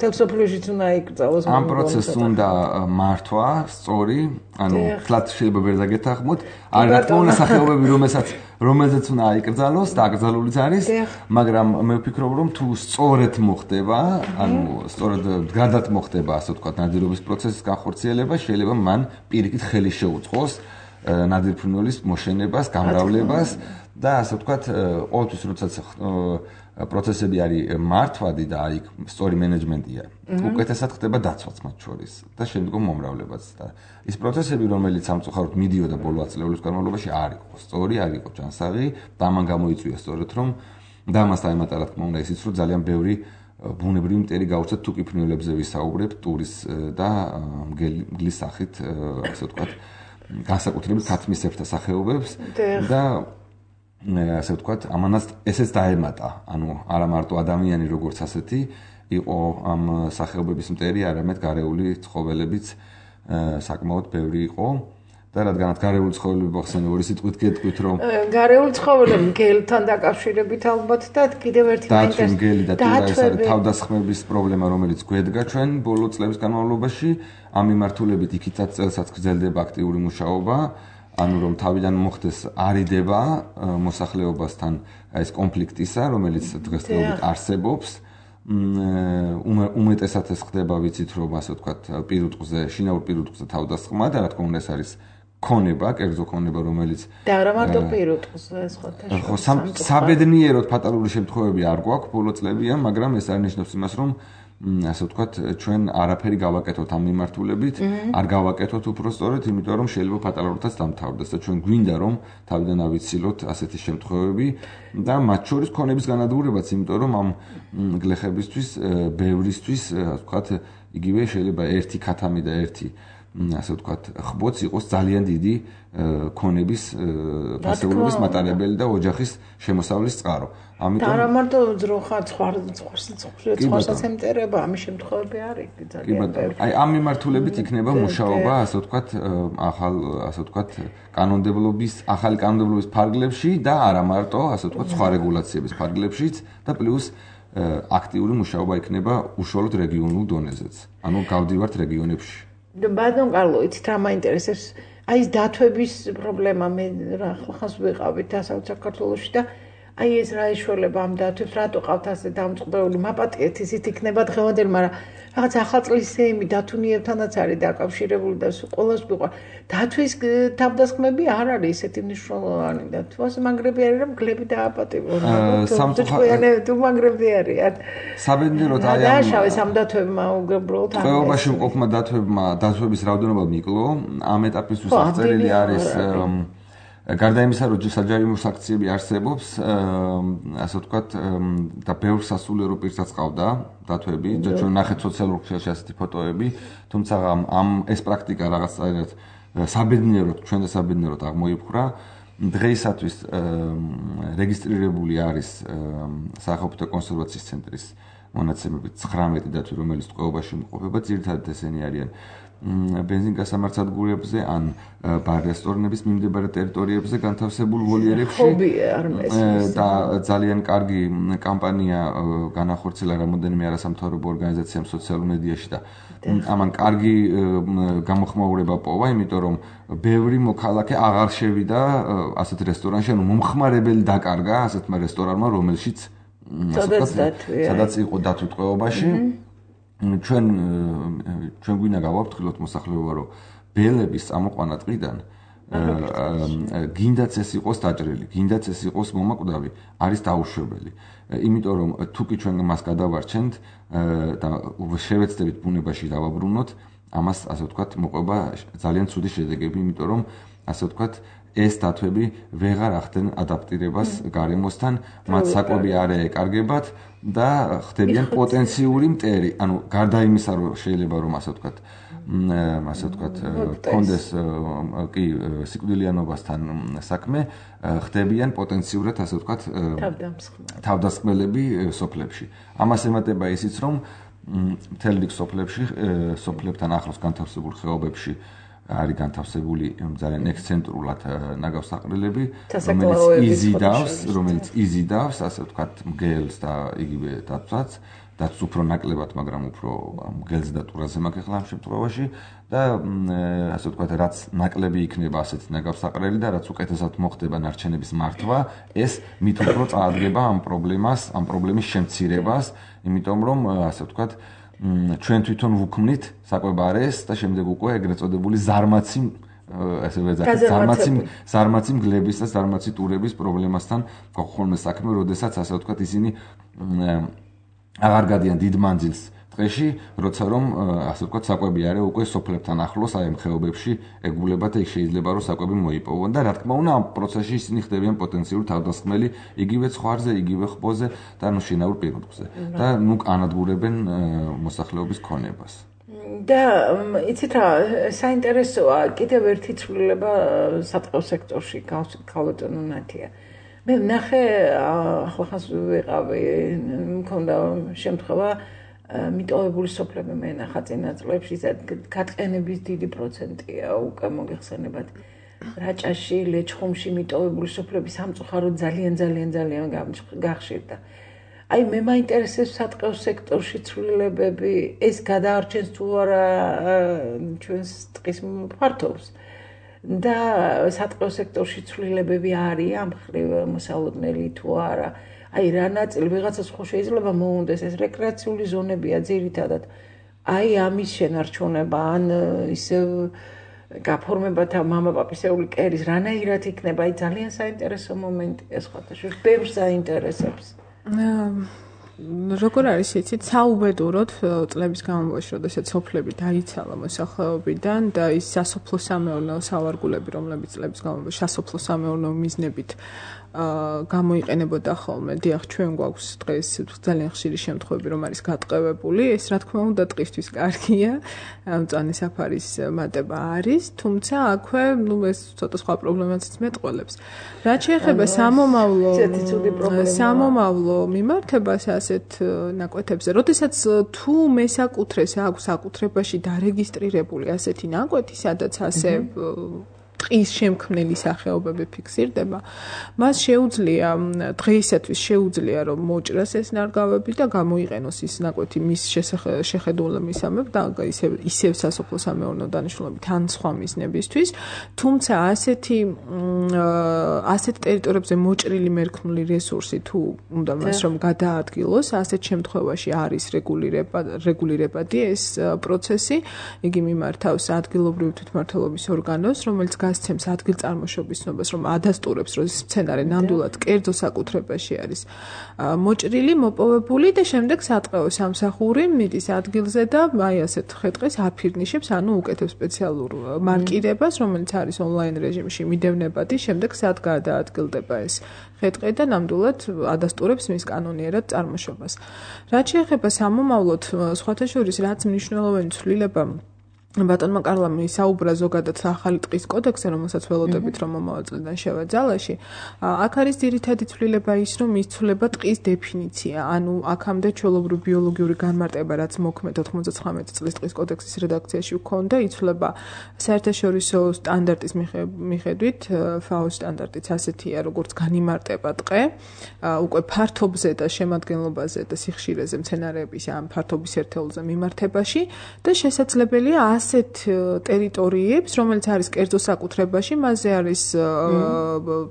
თელსოფლიოშიც უნდა იკრძალოს ამ პროცესს უნდა მართვა სწორი, ანუ თლათ შეიძლება ვერ დაგეთანხმოთ, არ რა თქმა უნდა სახეობები რომელსაც რომელზეც უნდა იკრძალოს და აკრძალულიც არის, მაგრამ მე ვფიქრობ რომ თუ სწორედ მოხდება, ანუ სწორედ გადად მოხდება, ასე ვთქვათ, ნადირობის პროცესის განხორციელება, შეიძლება მან პირიქით ხელი შეუწყოს ნადირფრინველის მოშენებას, გამრავლებას და ასე ვთქვათ, ყოველთვის როდესაც პროცესები არის მართვადი და აი სწორი მენეჯმენტია, უკეთესად ხდება დაცვაც მათ შორის და შემდგომ მომრავლებაც და ის პროცესები, რომელიც სამწუხაროდ მიდიოდა ბოლო ათწლეულის განმავლობაში, არ იყო სწორი, არ იყო ჯანსაღი და ამან გამოიწვია სწორედ რომ და ამას დაემატა რა თქმა უნდა ისიც, რომ ძალიან ბევრი ბუნებრივი მტერი გაუწევთ თუ კი ფრინველებზე ვისაუბრებთ, ტურის და მგლის სახით, ასე ვთქვათ, განსაკუთრებით ქათმისებრთა სახეობებს და ასე ვთქვათ, ამანაც ესეც დაემატა, ანუ არა მარტო ადამიანი როგორც ასეთი იყო ამ სახეობების მტერი, არამედ გარეული ცხოველებიც საკმაოდ ბევრი იყო და რადგანაც გარეული ცხოველები მოხსენე ორი სიტყვით გეტყვით რომ გარეული ცხოველები მგელთან დაკავშირებით ალბათ და კიდევ ერთი მაინტერესებს მგელი და ტირაის თავდასხმების პრობლემა რომელიც გვედგა ჩვენ ბოლო წლების განმავლობაში ამ მიმართულებით იქითაც წელსაც გრძელდება აქტიური მუშაობა ანუ რომ თავიდან მოხდეს არიდება მოსახლეობასთან ეს კონფლიქტისა რომელიც დღესდღეობით არსებობს უმეტესად ეს ხდება ვიცით რომ ასე ვთქვათ პირუტყვზე შინაურ პირუტყვზე თავდასხმა და რა თქმა უნდა ეს არის ქონება, კერძო ქონება, რომელიც და არა მარტო პირუტყვზე, სხვათა ხო, საბედნიეროდ ფატალური შემთხვევები არ გვაქვს ბოლო წლებია, მაგრამ ეს არ ნიშნავს იმას, რომ ასე ვთქვათ, ჩვენ არაფერი გავაკეთოთ ამ მიმართულებით, არ გავაკეთოთ უბრალოდ, იმიტომ რომ შეიძლება ფატალურადაც დამთავრდეს და ჩვენ გვინდა რომ თავიდან ავიცილოთ ასეთი შემთხვევები და მათ შორის ქონების განადგურებაც, იმიტომ რომ ამ გლეხებისთვის, ბევრისთვის, ასე ვთქვათ, იგივე შეიძლება ერთი ქათამი და ერთი ასე ვთქვათ, ხბოც იყოს ძალიან დიდი ქონების ფასეულობის მატარებელი და ოჯახის შემოსავლის წყარო. ამიტომ და არა მარტო ძროხა, ცხვარსაც ემტერება, ამის შემთხვევები არის ძალიან ბევრი. აი ამ მიმართულებით იქნება მუშაობა, ასე ვთქვათ, ახალ, ასე ვთქვათ, კანონმდებლობის, ახალი კანონმდებლობის ფარგლებში და არა მარტო, ასე ვთქვათ, სხვა რეგულაციების ფარგლებშიც და პლუს აქტიური მუშაობა იქნება უშუალოდ რეგიონულ დონეზეც. ანუ გავდივართ რეგიონებში. ბატონ კარლო, იცით რა მაინტერესებს? აი ეს დათვების პრობლემა მე რა ხალხს ვიყავით დასავლეთ საქართველოში და აი ეს რა ეშველება ამ დათვებს, რატო ყავთ ასე დამწყდეული? მაპატიეთ ისიც იქნება დღევანდელი, მაგრამ რაღაც ახალწლის სეიმი დათუნიებთანაც არის დაკავშირებული და ყველას ვიყვა. დათვის თავდასხმები არ არის ისეთი მნიშვნელოვანი და თვას მაგრები არის რომ გლები დააპატიმრონ. სამწუხაროდ თუ მაგრები არიან. საბედნიეროდ აი ამ დააშავეს ამ დათვებმა უბრალოდ ამ ყველაში მყოფმა დათვებმა დათვების რაოდენობა მიკლო. ამ ეტაპისთვის აღწერილი არის გარდა იმისა, რომ საჯარიმო საქციები არსებობს, ასე ვთქვათ, და ბევრ სასულიერო პირსაც ყავდა დათვები, და ჩვენ ნახეთ სოციალურ ქსელში ასეთი ფოტოები, თუმცა ამ ეს პრაქტიკა რაღაცა საბედნიეროდ ჩვენ და საბედნიეროდ აღმოიფხვრა. დღეისათვის რეგისტრირებული არის სახალხო კონსერვაციის ცენტრის მონაცემებით ცხრამეტი დათვი, რომელიც ტყვეობაში იმყოფება, ძირითადად ესენი არიან ბენზინგასამართსადგურებზე ან ბარ-რესტორნების მიმდებარე ტერიტორიებზე განთავსებულ ვოლიერებში და ძალიან კარგი კამპანია განახორციელა რამოდენიმე არასამთავრობო ორგანიზაციამ სოციალურ მედიაში და ამან კარგი გამოხმაურება პოვა, იმიტომ რომ ბევრი მოქალაქე აღარ შევიდა ასეთ რესტორანში, ანუ მომხმარებელი დაკარგა ასეთმა რესტორანმა, რომელშიც სადაც იყო დათვი ტყვეობაში. ჩვენ ჩვენ გვინდა გავაფრთხილოთ მოსახლეობა, რომ ბელების წამოყვანა ტყიდან გინდაც ეს იყოს დაჭრილი, გინდაც ეს იყოს მომაკვდავი, არის დაუშვებელი. იმიტომ რომ თუ კი ჩვენ მას გადავარჩენთ და შევეცდებით ბუნებაში დავაბრუნოთ, ამას ასე ვთქვათ, მოყვება ძალიან ცუდი შედეგები, იმიტომ რომ ასე ვთქვათ, ეს დათვები ვეღარ ახდენ ადაპტირებას გარემოსთან, მათ საკვები არ ეეკარგებათ და ხდებიან პოტენციური მტერი. ანუ გარდა იმისა, რომ შეიძლება რომ ასე ვთქვათ, ასე ვთქვათ, კონდეს კი სიკვდილიანობასთან საქმე, ხდებიან პოტენციურად ასე ვთქვათ, თავდასხმელები სოფლებში. ამას ემატება ისიც, რომ მთელ რიგ სოფლებში, სოფლებთან ახლოს განთავსებულ ხეობებში არის განთავსებული ძალიან ექსცენტრულად ნაგავსაყრელები, რომელიც იზიდავს, რომელიც იზიდავს, ასე ვთქვათ, მგელს და იგივე დათვსაც, დაც უფრო ნაკლებად, მაგრამ უფრო მგელს და ტურაზე მაქვს ახლა ამ შემთხვევაში და ასე ვთქვათ, რაც ნაკლები იქნება ასეთი ნაგავსაყრელი და რაც უკეთესად მოხდება ნარჩენების მართვა, ეს მით უფრო წაადგება ამ პრობლემას, ამ პრობლემის შემცირებას, იმიტომ რომ ასე ვთქვათ, ჩვენ თვითონ ვუქმნით საკვებარეს და შემდეგ უკვე ეგრეთ წოდებული ზარმაცი ასე ვეძახით ზარმაცი ზარმაცი მგლების და ზარმაცი ტურების პრობლემასთან გვაქვს საქმე, როდესაც ასე ვთქვათ ისინი აღარ გადიან დიდ მანძილს ტყეში, როცა რომ ასე ვთქვათ საკვები არის უკვე სოფლებთან ახლოს აი ამ ხეობებში ეგულებათ, ეგ შეიძლება რომ საკვები მოიპოვონ და რა თქმა უნდა ამ პროცესში ისინი ხდებიან პოტენციური თავდასხმელი იგივე ცხვარზე, იგივე ხბოზე და ნუ შინაურ პირუტყვზე და ნუ ანადგურებენ მოსახლეობის ქონებას. და იცით რა, საინტერესოა კიდევ ერთი ცვლილება სატყეო სექტორში ქალბატონო ნათია. მე ვნახე ახლახანს ვიყავი, მქონდა შემთხვევა მიტოვებული სოფლები მე ნახა წინა წლებში, გატყენების დიდი პროცენტია უკვე მოგეხსენებათ. რაჭაში, ლეჩხუმში მიტოვებული სოფლები სამწუხაროდ ძალიან ძალიან ძალიან გახშირდა. აი მე მაინტერესებს სატყეო სექტორში ცვლილებები, ეს გადაარჩენს თუ არა ჩვენს ტყის ფართობს. და სატყეო სექტორში ცვლილებები არის ამ ხრივ მოსალოდნელი თუ არა. აი რა ნაწილი ვიღაცას ხო შეიძლება მოუნდეს, ეს რეკრეაციული ზონებია ძირითადად. აი ამის შენარჩუნება ან ისევ გაფორმება და მამაპაპისეული კერის რანაირად იქნება, აი ძალიან საინტერესო მომენტია სხვათაშორის, ბევრს საინტერესებს. როგორ არის იცით, საუბედუროდ წლების განმავლობაში, როდესაც სოფლები დაიცალა მოსახლეობიდან და ის სასოფლო სამეურნეო სავარგულები, რომლებიც წლების განმავლობაში სასოფლო სამეურნეო მიზნებით გამოიყენებოდა ხოლმე. დიახ, ჩვენ გვაქვს დღეს ძალიან ხშირი შემთხვევები, რომ არის გატყევებული. ეს რა თქმა უნდა ტყისთვის კარგია. მწვანე საფარის მატება არის, თუმცა აქვე, ნუ ეს ცოტა სხვა პრობლემებიც მეტყველებს. რაც შეეხება სამომავლო სამომავლო მიმართებას ასეთ ნაკვეთებზე, როდესაც თუ მესაკუთრეს აქვს საკუთრებაში დარეგისტრირებული ასეთი ნაკვეთი, სადაც ასე ტყის შემქმნელი სახეობები ფიქსირდება, მას შეუძლია დღეისათვის შეუძლია რომ მოჭრას ეს ნარგავები და გამოიყენოს ის ნაკვეთი მის შეხედულებისამებრ და ისევ ისევ სასოფლო სამეურნეო დანიშნულებით ან სხვა მიზნებისთვის, თუმცა ასეთი ასეთ ტერიტორიებზე მოჭრილი მერქნული რესურსი თუ უნდა მას რომ გადაადგილოს, ასეთ შემთხვევაში არის რეგულირება რეგულირებადი ეს პროცესი, იგი მიმართავს ადგილობრივ თვითმმართველობის ორგანოს, რომელიც გასცემს ადგილწარმოშობის ცნობას, რომ ადასტურებს, რომ ეს სცენარი ნამდვილად კერძო საკუთრებაში არის მოჭრილი, მოპოვებული და შემდეგ სატყეო სამსახური მიდის ადგილზე და აი ასეთ ხე-ტყეს აფირნიშებს, ანუ უკეთებს სპეციალურ მარკირებას, რომელიც არის ონლაინ რეჟიმში მიდევნებადი, შემდეგ სად გადაადგილდება ეს ხე-ტყე და ნამდვილად ადასტურებს მის კანონიერად წარმოშობას. რაც შეეხება სამომავლოდ, სხვათა შორის რაც მნიშვნელოვანი ცვლილება ბატონმა კარლამ ისაუბრა ზოგადად ახალი ტყის კოდექსზე, რომელსაც ველოდებით რომ მომავალ წლიდან შევაძალაში. აქ არის ძირითადი ცვლილება ის, რომ იცვლება ტყის დეფინიცია. ანუ აქამდე ჩვეულებრივი ბიოლოგიური განმარტება, რაც მოქმედ ოთხმოცდაცხრამეტი წლის ტყის კოდექსის რედაქციაში ჰქონდა, იცვლება საერთაშორისო სტანდარტის მიხედვით, ფაოს სტანდარტიც ასეთია, როგორც განიმარტება ტყე, უკვე ფართობზე და შემადგენლობაზე და სიხშირეზე მცენარეების ამ ფართობის ერთეულზე მიმართებაში და შესაძლებელია ასეთ ტერიტორიებს, რომელიც არის კერძო საკუთრებაში, მასზე არის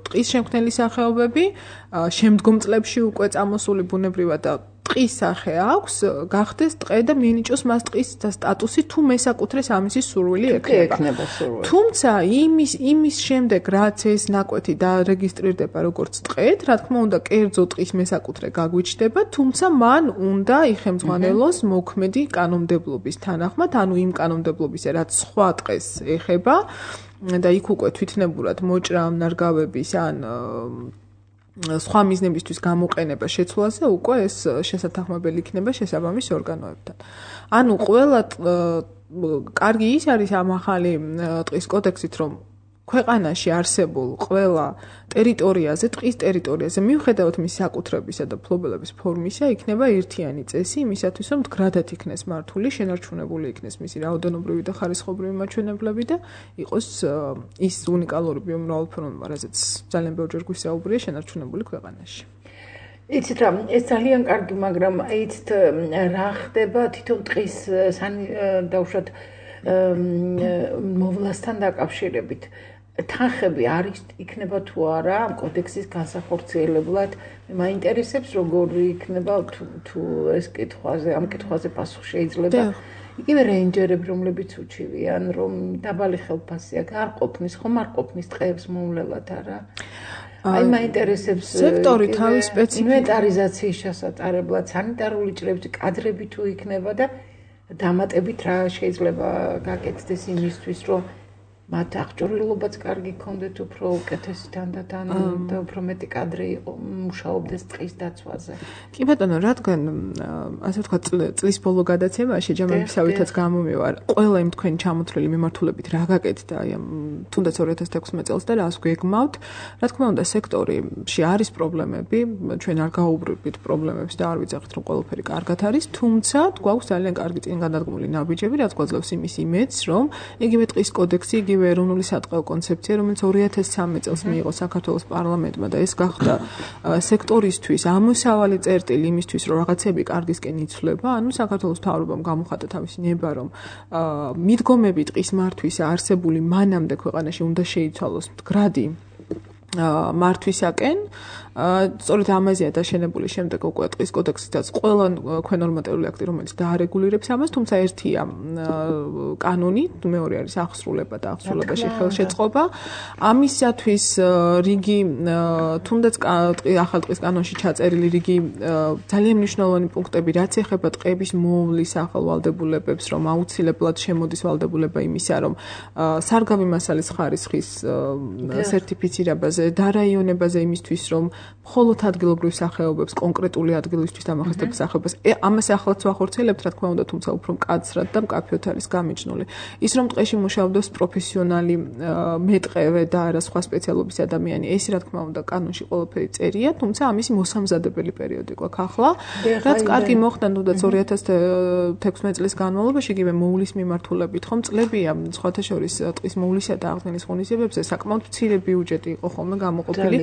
ტყის შემქმნელი სახეობები, შემდგომ წლებში უკვე წამოსული ბუნებრივად და ტყის სახე აქვს, გახდეს ტყე და მიენიჭოს მას ტყის სტატუსი, თუ მესაკუთრეს ამისი სურვილი ექნება. თუმცა იმის იმის შემდეგ, რაც ეს ნაკვეთი დარეგისტრირდება როგორც ტყედ, რა თქმა უნდა, კერძო ტყის მესაკუთრე გაგვიჩნდება, თუმცა მან უნდა იხელმძღვანელოს მოქმედი კანონმდებლობის თანახმად, ანუ იმ კანონმდებლობისა, რაც სხვა ტყეს ეხება და იქ უკვე თვითნებურად მოჭრა ამ ნარგავების ან სხვა მიზნებისთვის გამოყენება შეცვლაზე უკვე ეს შესათანხმებელი იქნება შესაბამის ორგანოებთან. ანუ ყველა კარგი ის არის ამ ახალი ტყის კოდექსით, რომ ქვეყანაში არსებულ ყველა ტერიტორიაზე, ტყის ტერიტორიაზე, მიუხედავად მის საკუთრებისა და ფლობელების ფორმისა, იქნება ერთიანი წესი იმისათვის, რომ მდგრადად იქნეს მართული, შენარჩუნებული იქნეს მისი რაოდენობრივი და ხარისხობრივი მაჩვენებლები და იყოს ის უნიკალური ბიომრავალფეროვნება, რაზეც ძალიან ბევრჯერ გვისაუბრია, შენარჩუნებული ქვეყანაში. იცით რა, ეს ძალიან კარგი, მაგრამ იცით რა ხდება თვითონ ტყის დაუშვათ მოვლასთან დაკავშირებით. თანხები არის იქნება თუ არა ამ კოდექსის განსახორციელებლად. მაინტერესებს როგორი იქნება თუ ეს კითხვაზე, ამ კითხვაზე პასუხი შეიძლება. იგივე რეინჯერები, რომლებიც უჩივიან, რომ დაბალი ხელფასი აქვს, არ ყოფნის, ხომ არ ყოფნის ტყეებს მოვლელად არა? აი მაინტერესებს სექტორი თავის სპეციფიკა ინვენტარიზაციის შესატარებლად, სანიტარული ჭრები, კადრები თუ იქნება და დამატებით რა შეიძლება გაკეთდეს იმისთვის, რომ მათ აღჭურვილობაც კარგი ქონდეთ, უფრო უკეთესი თანდათან და უფრო მეტი კადრი მუშაობდეს ტყის დაცვაზე. კი ბატონო, რადგან ასე ვთქვათ, წლის ბოლო გადაცემაში ჯამებისავითაც გამომივარ, ყველა იმ თქვენი ჩამოთვლილი მიმართულებით რა გაკეთდა, აი ამ თუნდაც ორი ათას თექვსმეტ წელს და რას გვეგმავთ, რა თქმა უნდა, სექტორში არის პრობლემები, ჩვენ არ გაუბრებით პრობლემებს და არ ვიძახით, რომ ყველაფერი კარგად არის, თუმცა გვაქვს ძალიან კარგი წინგადადგმული ნაბიჯები, რაც გვაძლევს იმის იმედს, რომ იგივე ტყის კოდექსი, იგივე ეროვნული სატყეო კონცეფცია, რომელიც ორი ათას ცხრამეტ წელს მიიღო საქართველოს პარლამენტმა და ეს გახდა სექტორისთვის ამოსავალი წერტილი იმისთვის, რომ რაღაცები კარგისკენ იცვლება, ანუ საქართველოს მთავრობამ გამოხატა თავისი ნება, რომ მიდგომები ტყის მართვისა არსებული მანამდე ქვეყანაში უნდა შეიცვალოს მდგრადი მართვისაკენ. სწორედ ამაზეა დაშენებული შემდეგ უკვე ტყის კოდექსითაც ყველა ქვენორმატიული აქტი, რომელიც დაარეგულირებს ამას, თუმცა ერთია კანონი, მეორე არის აღსრულება და აღსრულებაში ხელშეწყობა. ამისათვის რიგი თუნდაც ახალ ტყის კანონში ჩაწერილი რიგი ძალიან მნიშვნელოვანი პუნქტები, რაც ეხება ტყეების მოვლის ახალ ვალდებულებებს, რომ აუცილებლად შემოდის ვალდებულება იმისა, რომ სარგავი მასალის ხარისხის სერტიფიცირებაზე, დარაიონებაზე იმისთვის, რომ მხოლოდ ადგილობრივ სახეობებს, კონკრეტული ადგილისთვის დამახასიათებელ სახეობას, ამას ახლაც ვახორციელებთ, რა თქმა უნდა, თუმცა უფრო მკაცრად და მკაფიოდ არის გამიჯნული. ის რომ ტყეში მუშაობდეს პროფესიონალი მეტყევე და არა სხვა სპეციალობის ადამიანი, ეს რა თქმა უნდა კანონში ყველაფერი წერია, თუმცა ამისი მოსამზადებელი პერიოდი გვაქვს ახლა. რაც კარგი მოხდა თუნდაც ორი ათას თექვსმეტ წლის განმავლობაში, იგივე მოვლის მიმართულებით, ხომ წლებია სხვათა შორის ტყის მოვლისა და აღდგენის ღონისძიებებზე საკმაოდ მცირე ბიუჯეტი იყო ხოლმე გამოყოფილი,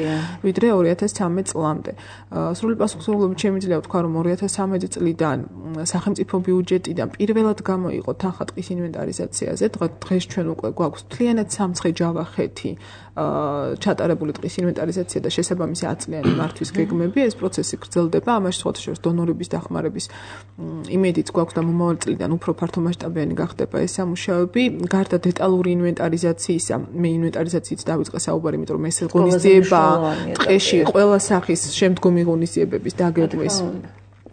ვიდრე ორი ათას ცხრამეტ წლამდე. სრული პასუხისმგებლობით შემიძლია ვთქვა, რომ ორი ათას ცხრამეტ წლიდან სახელმწიფო ბიუჯეტიდან პირველად გამოიყო თანხა ტყის ინვენტარიზაციაზე. დღეს ჩვენ უკვე გვაქვს მთლიანად სამცხე ჯავახეთი ჩატარებული ტყის ინვენტარიზაცია და შესაბამისი აწლიანი მართვის გეგმები. ეს პროცესი გრძელდება, ამაში სხვათა შორის დონორების დახმარების იმედიც გვაქვს და მომავალ წლიდან უფრო ფართომასშტაბიანი გახდება ეს სამუშაოები. გარდა დეტალური ინვენტარიზაციისა, მე ინვენტარიზაციით დავიწყე საუბარი, იმიტომ რომ ეს ღონისძიება ტყეში ყველა სახის შემდგომი ღონისძიებების დაგეგმვის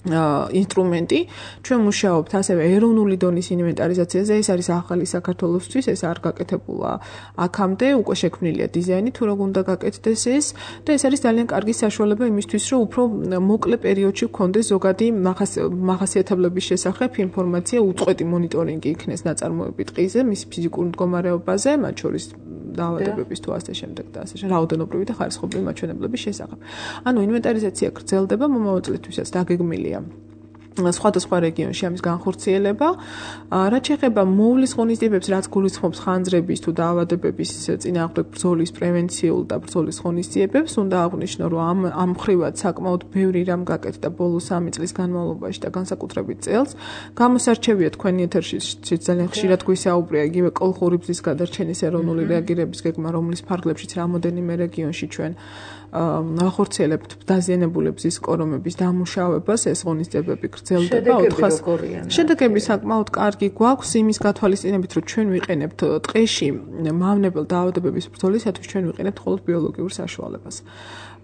ინსტრუმენტი. ჩვენ მუშაობთ ასევე ეროვნული დონის ინვენტარიზაციაზე. ეს არის ახალი საქართველოსთვის, ეს არ გაკეთებულა აქამდე, უკვე შექმნილია დიზაინი, თუ როგორ უნდა გაკეთდეს ეს და ეს არის ძალიან კარგი საშუალება იმისთვის, რომ უფრო მოკლე პერიოდში გქონდეს ზოგადი მახასიათებლების შესახებ ინფორმაცია, უწყვეტი მონიტორინგი იქნეს ნაწარმოები ტყეზე, მის ფიზიკურ მდგომარეობაზე, მათ შორის დაავადებების თუ ასე შემდეგ და ასე შემდეგ, რაოდენობრივი და ხარისხობრივი მაჩვენებლების შესახებ. ანუ ინვენტარიზაცია გრძელდება მომავალ წლისთვისაც დაგეგმილია სხვადასხვა რეგიონში ამის განხორციელება. რაც შეეხება მოვლის ღონისძიებებს, რაც გულისხმობს ხანძრების თუ დაავადებების წინააღმდეგ ბრძოლის პრევენციულ და ბრძოლის ღონისძიებებს, უნდა აღვნიშნო, რომ ამ ამ მხრივად საკმაოდ ბევრი რამ გაკეთდა ბოლო სამი წლის განმავლობაში და განსაკუთრებით წელს. გამოსარჩევია თქვენი ეთერში ძალიან ხშირად გვისაუბრია იგივე კოლხური ბზის გადარჩენის ეროვნული რეაგირების გეგმა, რომლის ფარგლებშიც რამოდენიმე რეგიონში ჩვენ ახორციელებთ დაზიანებული ბზის კორომების დამუშავებას, ეს ღონისძიებები გრძელდება ოთხას. შედეგები საკმაოდ კარგი გვაქვს იმის გათვალისწინებით, რომ ჩვენ ვიყენებთ ტყეში მავნებელ დაავადებების ბრძოლისათვის ჩვენ ვიყენებთ მხოლოდ ბიოლოგიურ საშუალებას.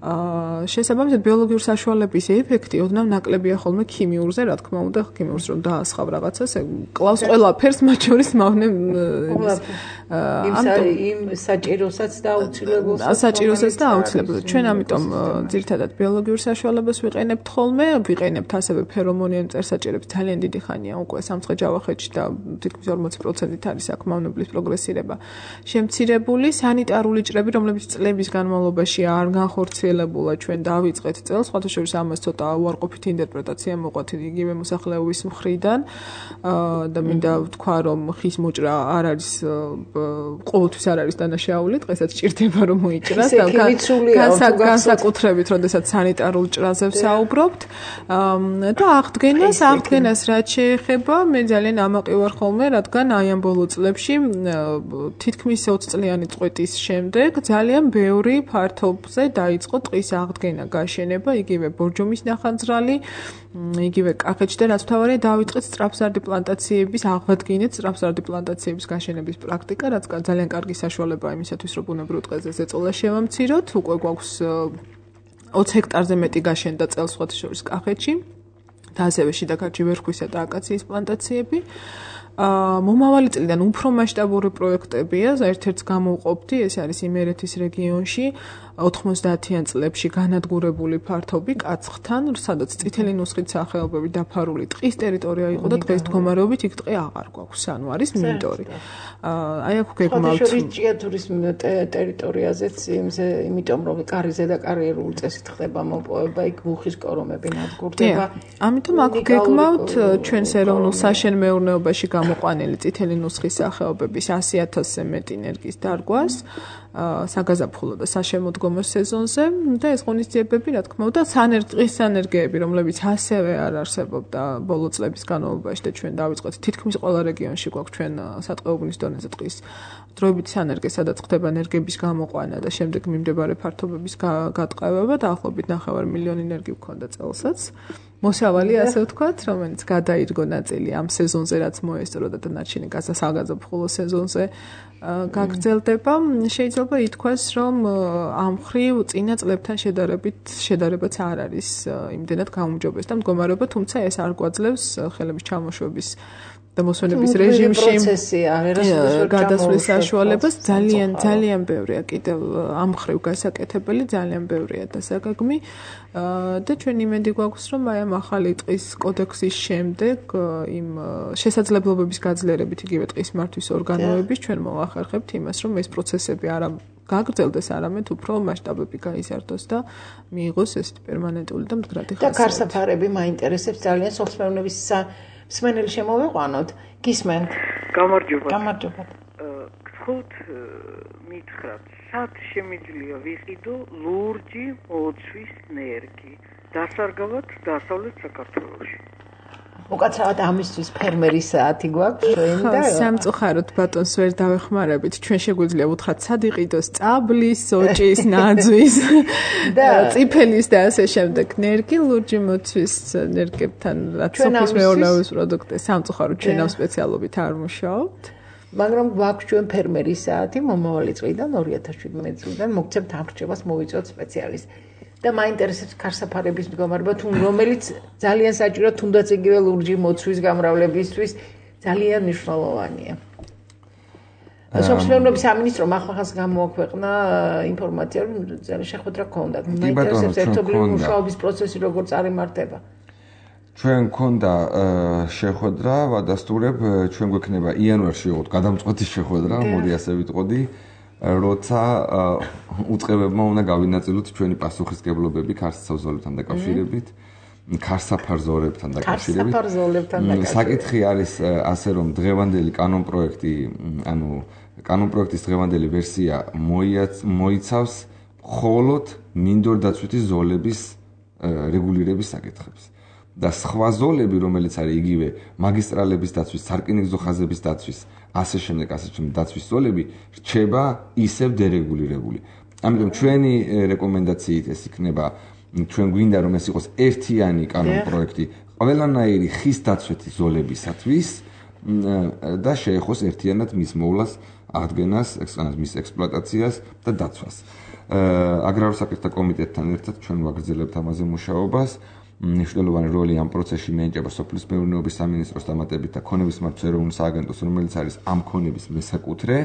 აა შესაბამისად ბიოლოგიურ საშუალების ეფექტი ოდნავ ნაკლებია ხოლმე ქიმიურზე, რა თქმა უნდა, ქიმიურს რომ დაასხავ რაღაცას, კლავს ყველაფერს, მათ შორის მავნე იმ საჭიროსაც და აუცილებელს. საჭიროსაც და აუცილებელს. ჩვენ ამიტომ ძირითადად ბიოლოგიურ საშუალებას ვიყენებთ ხოლმე, ვიყენებთ ასევე ფერომონიან მწერსაჭირებს ძალიან დიდი ხანია უკვე სამცხე-ჯავახეთში და თითქმის ორმოცი პროცენტით არის აქ მავნებლის პროგრესირება შემცირებული. სანიტარული ჭრები, რომლებიც წლების განმავლობაში არ განხორციელებულა, ჩვენ დავიწყეთ წელს, სხვათა შორის ამას ცოტა უარყოფითი ინტერპრეტაცია მოყვათ იგივე მოსახლეობის მხრიდან და მინდა ვთქვა, რომ ხის მოჭრა არ არის ყოველთვის არ არის დანაშაული, დღესაც ჭირდება რომ მოიჭრას და განსაკუთრებით, როდესაც სანიტარულ ჭრაზე ვსაუბრობთ და აღდგენას, აღდგენას რაც შეეხება, მე ძალიან ამაყი ვარ ხოლმე, რადგან აი ამ ბოლო წლებში თითქმის ოცი წლიანი წყვეტის შემდეგ ძალიან ბევრი ფართობზე დაიწყო ტყის აღდგენა, გაშენება, იგივე ბორჯომის ნახანძრალი, იგივე კახეთში და რაც თავარია დავიწყეთ სწრაფზარდი პლანტაციების აღადგინეთ სწრაფზარდი პლანტაციების გაშენების პრაქტიკა, რაც ძალიან კარგი საშუალებაა იმისათვის, რომ ბუნებრივ ტყეზე ზეწოლა შევამციროთ. უკვე გვაქვს ოცი ჰექტარზე მეტი გაშენდა წელს სხვათა შორის კახეთში და ასევე შიდა ქართლში ვერხვისა და აკაციის პლანტაციები. აა მომავალი წლიდან უფრო მასშტაბური პროექტებია, ერთ-ერთს გამოვყოფდი, ეს არის იმერეთის რეგიონში ოთხმოცდაათიან წლებში განადგურებული ფართობი კაცხთან, სადაც წითელი ნუსხით სახეობები დაფარული ტყის ტერიტორია იყო და დღეს მდგომარეობით იქ ტყე აღარ გვაქვს, ანუ არის მინდორი. აა აი აქ გეგმავთ ჭიათურის ტერიტორიაზეც იმზე, იმიტომ რომ კარიზე და კარიერული წესით ხდება მოპოვება, იქ მუხის კორომები ნადგურდება. ამიტომ აქ გეგმავთ ჩვენს ეროვნულ საშენ მეურნეობაში გამოყვანილი წითელი ნუსხის სახეობების ასი ათასზე მეტი ენერგიის დარგვას. საგაზაფხულო და საშემოდგომო სეზონზე და ეს ღონისძიებები, რა თქმა უნდა, სანერგის სანერგეები, რომლებიც ასევე არ არსებობდა ბოლო წლების განმავლობაში და ჩვენ დავიწყეთ თითქმის ყველა რეგიონში გვაქვს ჩვენ სატყეობნის დონეზე ტყის დროებითი სანერგე, სადაც ხდება ენერგების გამოყვანა და შემდეგ მიმდებარე ფართობების გატყევება, დაახლოებით ნახევარ მილიონი ენერგი გვქონდა წელსაც. მოსავალი, ასე ვთქვათ, რომელიც გადაირგო ნაწილი ამ სეზონზე, რაც მოესწრო და დანარჩენი გასასაგაზაფხულო სეზონზე გაგრძელდება. შეიძლება ითქვას, რომ ამ მხრივ წინა წლებთან შედარებით შედარებაც არ არის იმდენად გაუმჯობეს და მდგომარეობა, თუმცა ეს არ გვაძლევს ხელების ჩამოშვების და მოსვენების რეჟიმში გადასვლის საშუალებას. ძალიან ძალიან ბევრია კიდევ ამ მხრივ გასაკეთებელი, ძალიან ბევრია დასაგეგმი და ჩვენ იმედი გვაქვს, რომ აი ამ ახალი ტყის კოდექსის შემდეგ იმ შესაძლებლობების გაძლიერებით იგივე ტყის მართვის ორგანოების ჩვენ მოვახერხებთ იმას, რომ ეს პროცესები არა გაგრძელდეს, არამედ უფრო მასშტაბები გაიზარდოს და მიიღოს ეს პერმანენტული და მდგრადი ხასიათი. და გარსაფარები მაინტერესებს ძალიან სოხსმეურნეობის მსმენელი შემოვიყვანოთ. გისმენთ? გამარჯობა. გამარჯობა. გთხოვთ მითხრათ, სად შემიძლია ვიყიდო ლურჯი მოცვის ნერგი დასარგავად დასავლეთ საქართველოში? უკაცრავად ამისთვის ფერმერის საათი გვაქვს ჩვენ და სამწუხაროდ ბატონს ვერ დავეხმარებით. ჩვენ შეგვიძლია უთხრათ სად იყიდოს წაბლის, სოჭის, ნაძვის და წიფელის და ასე შემდეგ ნერგი ლურჯი მოცვის ნერგებთან, რაც სოფლის მეურნეობის პროდუქტი სამწუხაროდ ჩვენ ამ სპეციალობით არ მუშაობთ. მაგრამ გვაქვს ჩვენ ფერმერის საათი მომავალი წლიდან ორი ათას შვიდმეტი წლიდან მოგცემთ ამრჩევას მოვიწოთ სპეციალისტ. და მაინტერესებს ქარსაფარების მდგომარეობა, თუ რომელიც ძალიან საჭირო თუნდაც იგივე ლურჯი მოცვის გამრავლებისთვის ძალიან მნიშვნელოვანია. სოციალურ სამინისტრომ ახალ-ახალს გამოაქვეყნა ინფორმაცია, რომ ძალიან შეხვედრა ჰქონდა. მაინტერესებს ერთობლივი მუშაობის პროცესი როგორ წარიმართება. ჩვენ გქონდა შეხვედრა, ვადასტურებ, ჩვენ გვექნება იანვარში ვიყოთ გადამწყვეტი შეხვედრა, მოდი ასე ვიტყოდი, როცა უწყებებმა უნდა გავინაწილოთ ჩვენი პასუხისმგებლობები ქარსაცავ ზოლებთან დაკავშირებით, ქარსაფარ ზოლებთან დაკავშირებით. ქარსაფარ ზოლებთან დაკავშირებით. საკითხი არის ასე, რომ დღევანდელი კანონპროექტი, ანუ კანონპროექტის დღევანდელი ვერსია მოიცავს მხოლოდ მინდორდაცვითი ზოლების რეგულირების საკითხებს. და სხვა ზოლები, რომელიც არის იგივე მაგისტრალების დაცვის, სარკინიგზო ხაზების დაცვის, ასე შემდეგ, ასე შემდეგ დაცვის ზოლები რჩება ისევ დერეგულირებული. ამიტომ ჩვენი რეკომენდაციით ეს იქნება, ჩვენ გვინდა რომ ეს იყოს ერთიანი კანონპროექტი ყველანაირი ხის დაცვითი ზოლებისათვის და შეეხოს ერთიანად მის მოვლას, აღდგენას, მის ექსპლუატაციას და დაცვას. აგრარულ საკითხთა კომიტეტთან ერთად ჩვენ ვაგრძელებთ ამაზე მუშაობას. მნიშვნელოვანი როლი ამ პროცესში მიენიჭება სოფლის მეურნეობის სამინისტროს დამატებით და ქონების მართვის ეროვნულ სააგენტოს, რომელიც არის ამ ქონების მესაკუთრე.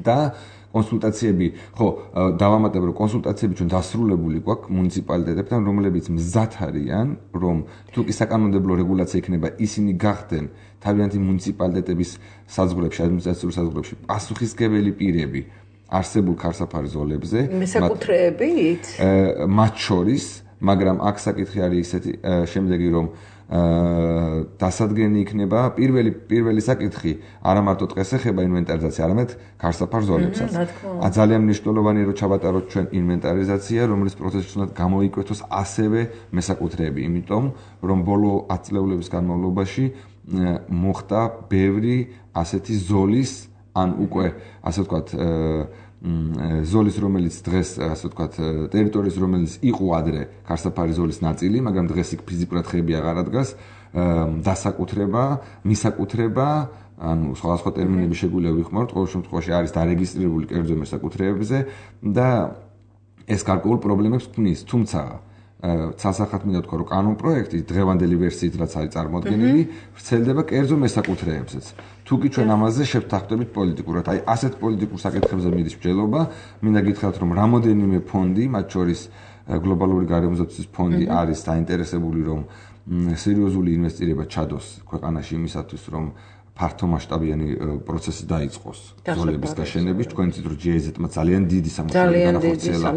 და კონსულტაციები, ხო, დავამატებ, რომ კონსულტაციები ჩვენ დასრულებული გვაქვს მუნიციპალიტეტებთან, რომლებიც მზად არიან, რომ თუ კი საკანონმდებლო რეგულაცია იქნება, ისინი გახდნენ თავიანთი მუნიციპალიტეტების საზღვრებში, ადმინისტრაციულ საზღვრებში პასუხისმგებელი პირები არსებულ ქარსაფარ ზოლებზე, მესაკუთრეებით, მათ შორის, მაგრამ აქ საკითხი არის ისეთი შემდეგი, რომ დასადგენი იქნება პირველი პირველი საკითხი არა მარტო დღეს ეხება ინვენტარიზაცია, არამედ ქარსაფარ ზოლებსაც. ძალიან მნიშვნელოვანია რომ ჩავატაროთ ჩვენ ინვენტარიზაცია, რომლის პროცესში უნდა გამოიკვეთოს ასევე მესაკუთრეები, იმიტომ რომ ბოლო ათი წლების განმავლობაში მოხდა ბევრი ასეთი ზოლის, ან უკვე ასე ვთქვათ ზოლის, რომელიც დღეს ასე ვთქვათ, ტერიტორიის, რომელიც იყო ადრე ქარსაფარი ზოლის ნაწილი, მაგრამ დღეს იქ ფიზიკურად ხეები აღარ ადგას, დასაკუთრება, მისაკუთრება, ანუ სხვადასხვა ტერმინები შეგვიძლია ვიხმაროთ, ყოველ შემთხვევაში არის დარეგისტრირებული კერძო მესაკუთრეებზე და ეს გარკვეულ პრობლემებს ქმნის, თუმცა ცალსახად მინდა ვთქვა, რომ კანონპროექტი დღევანდელი ვერსიით რაც არის წარმოდგენილი, ვრცელდება კერძო მესაკუთრეებზეც. თუ კი ჩვენ ამაზე შევთანხმდებით პოლიტიკურად, აი ასეთ პოლიტიკურ საკითხებზე მიდის მსჯელობა, მინდა გითხრათ, რომ რამოდენიმე ფონდი, მათ შორის გლობალური გარემოსდაცვის ფონდი არის დაინტერესებული, რომ სერიოზული ინვესტირება ჩადოს ქვეყანაში იმისათვის, რომ ფართომასშტაბიანი პროცესი დაიწყოს ზოლების გაშენების. თქვენ იცით, რომ ჯი აი ზეტმა ძალიან დიდი სამწუხაროდ განახორციელა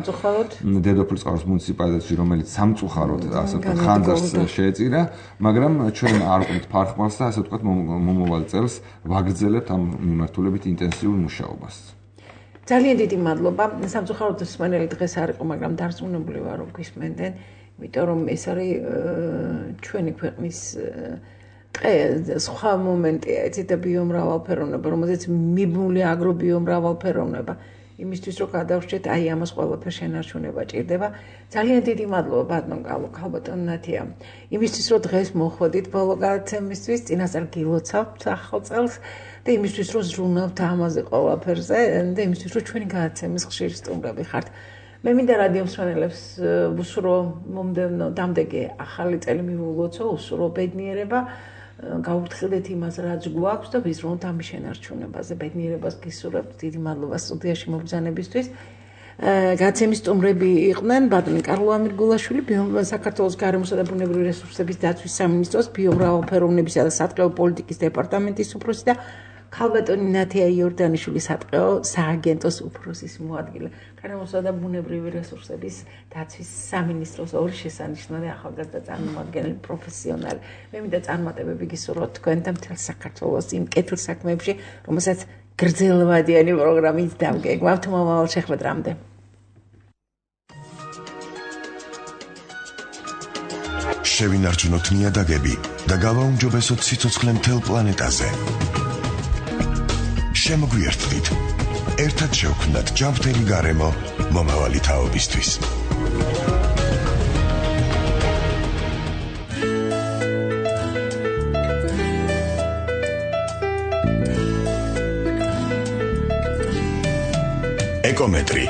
დედოფლის წყაროს მუნიციპალიტეტში, რომელიც სამწუხაროდ ასე ვთქვათ ხანძარს შეეწირა, მაგრამ ჩვენ არ ვყავთ ფარხმალს და ასე ვთქვათ მომავალ წელს ვაგრძელებთ ამ მიმართულებით ინტენსიურ მუშაობას. ძალიან დიდი მადლობა. სამწუხაროდ მსმენელი დღეს არ იყო, მაგრამ დარწმუნებული ვარ, რომ გვისმენდნენ, იმიტომ რომ ეს არის ჩვენი ქვეყნის სხვა მომენტია, იცით, და ბიომრავალფეროვნება, რომელზეც მიბმული აგრობიომრავალფეროვნება. იმისთვის რომ გადავშჩეთ, აი ამას ყველაფერს შენარჩუნება ჭირდება. ძალიან დიდი მადლობა ბატონ ქალბატონ ნათია. იმისთვის რომ დღეს მოხვედით ბოლო გადაცემისთვის, წინასწარ გილოცავთ ახალ წელს და იმისთვის რომ ზრუნავთ ამაზე ყველაფერზე და იმისთვის რომ ჩვენი გადაცემის ხშირი სტუმრები ხართ. მე მინდა რადიო მსმენელებს უსურო მომდევნო დამდეგი ახალი წელი მივულოცო, უსურო ბედნიერება. გავრთხილდეთ იმას, რაც გვაქვს და ვიზრუნოთ ამის შენარჩუნებაზე. ბედნიერებას გისურვებთ. დიდი მადლობა სტუდიაში მობრძანებისთვის. გადაცემის სტუმრები იყვნენ ბატონი კარლო ამირგულაშვილი, საქართველოს გარემოსა და ბუნებრივი რესურსების დაცვის სამინისტროს ბიომრავალფეროვნებისა და სატყეო პოლიტიკის დეპარტამენტის უფროსი და ქალბატონი ნათია იორდანიშვილი, სატყეო სააგენტოს უფროსის მოადგილე. გარემოსა და ბუნებრივი რესურსების დაცვის სამინისტროს ორი შესანიშნავი ახალგაზრდა წარმომადგენელი პროფესიონალი. მე მინდა წარმატებები გისურვოთ თქვენ და მთელ საქართველოს იმ კეთილ საქმეებში, რომელსაც გრძელვადიანი პროგრამით დავგეგმავთ მომავალ შეხვედრამდე. შევინარჩუნოთ ნიადაგები და გავაუმჯობესოთ სიცოცხლე მთელ პლანეტაზე. შემოგვიერთდით. ერთად შევქმნათ ჯანმრთელი გარემო მომავალი თაობისთვის. ეკომეტრი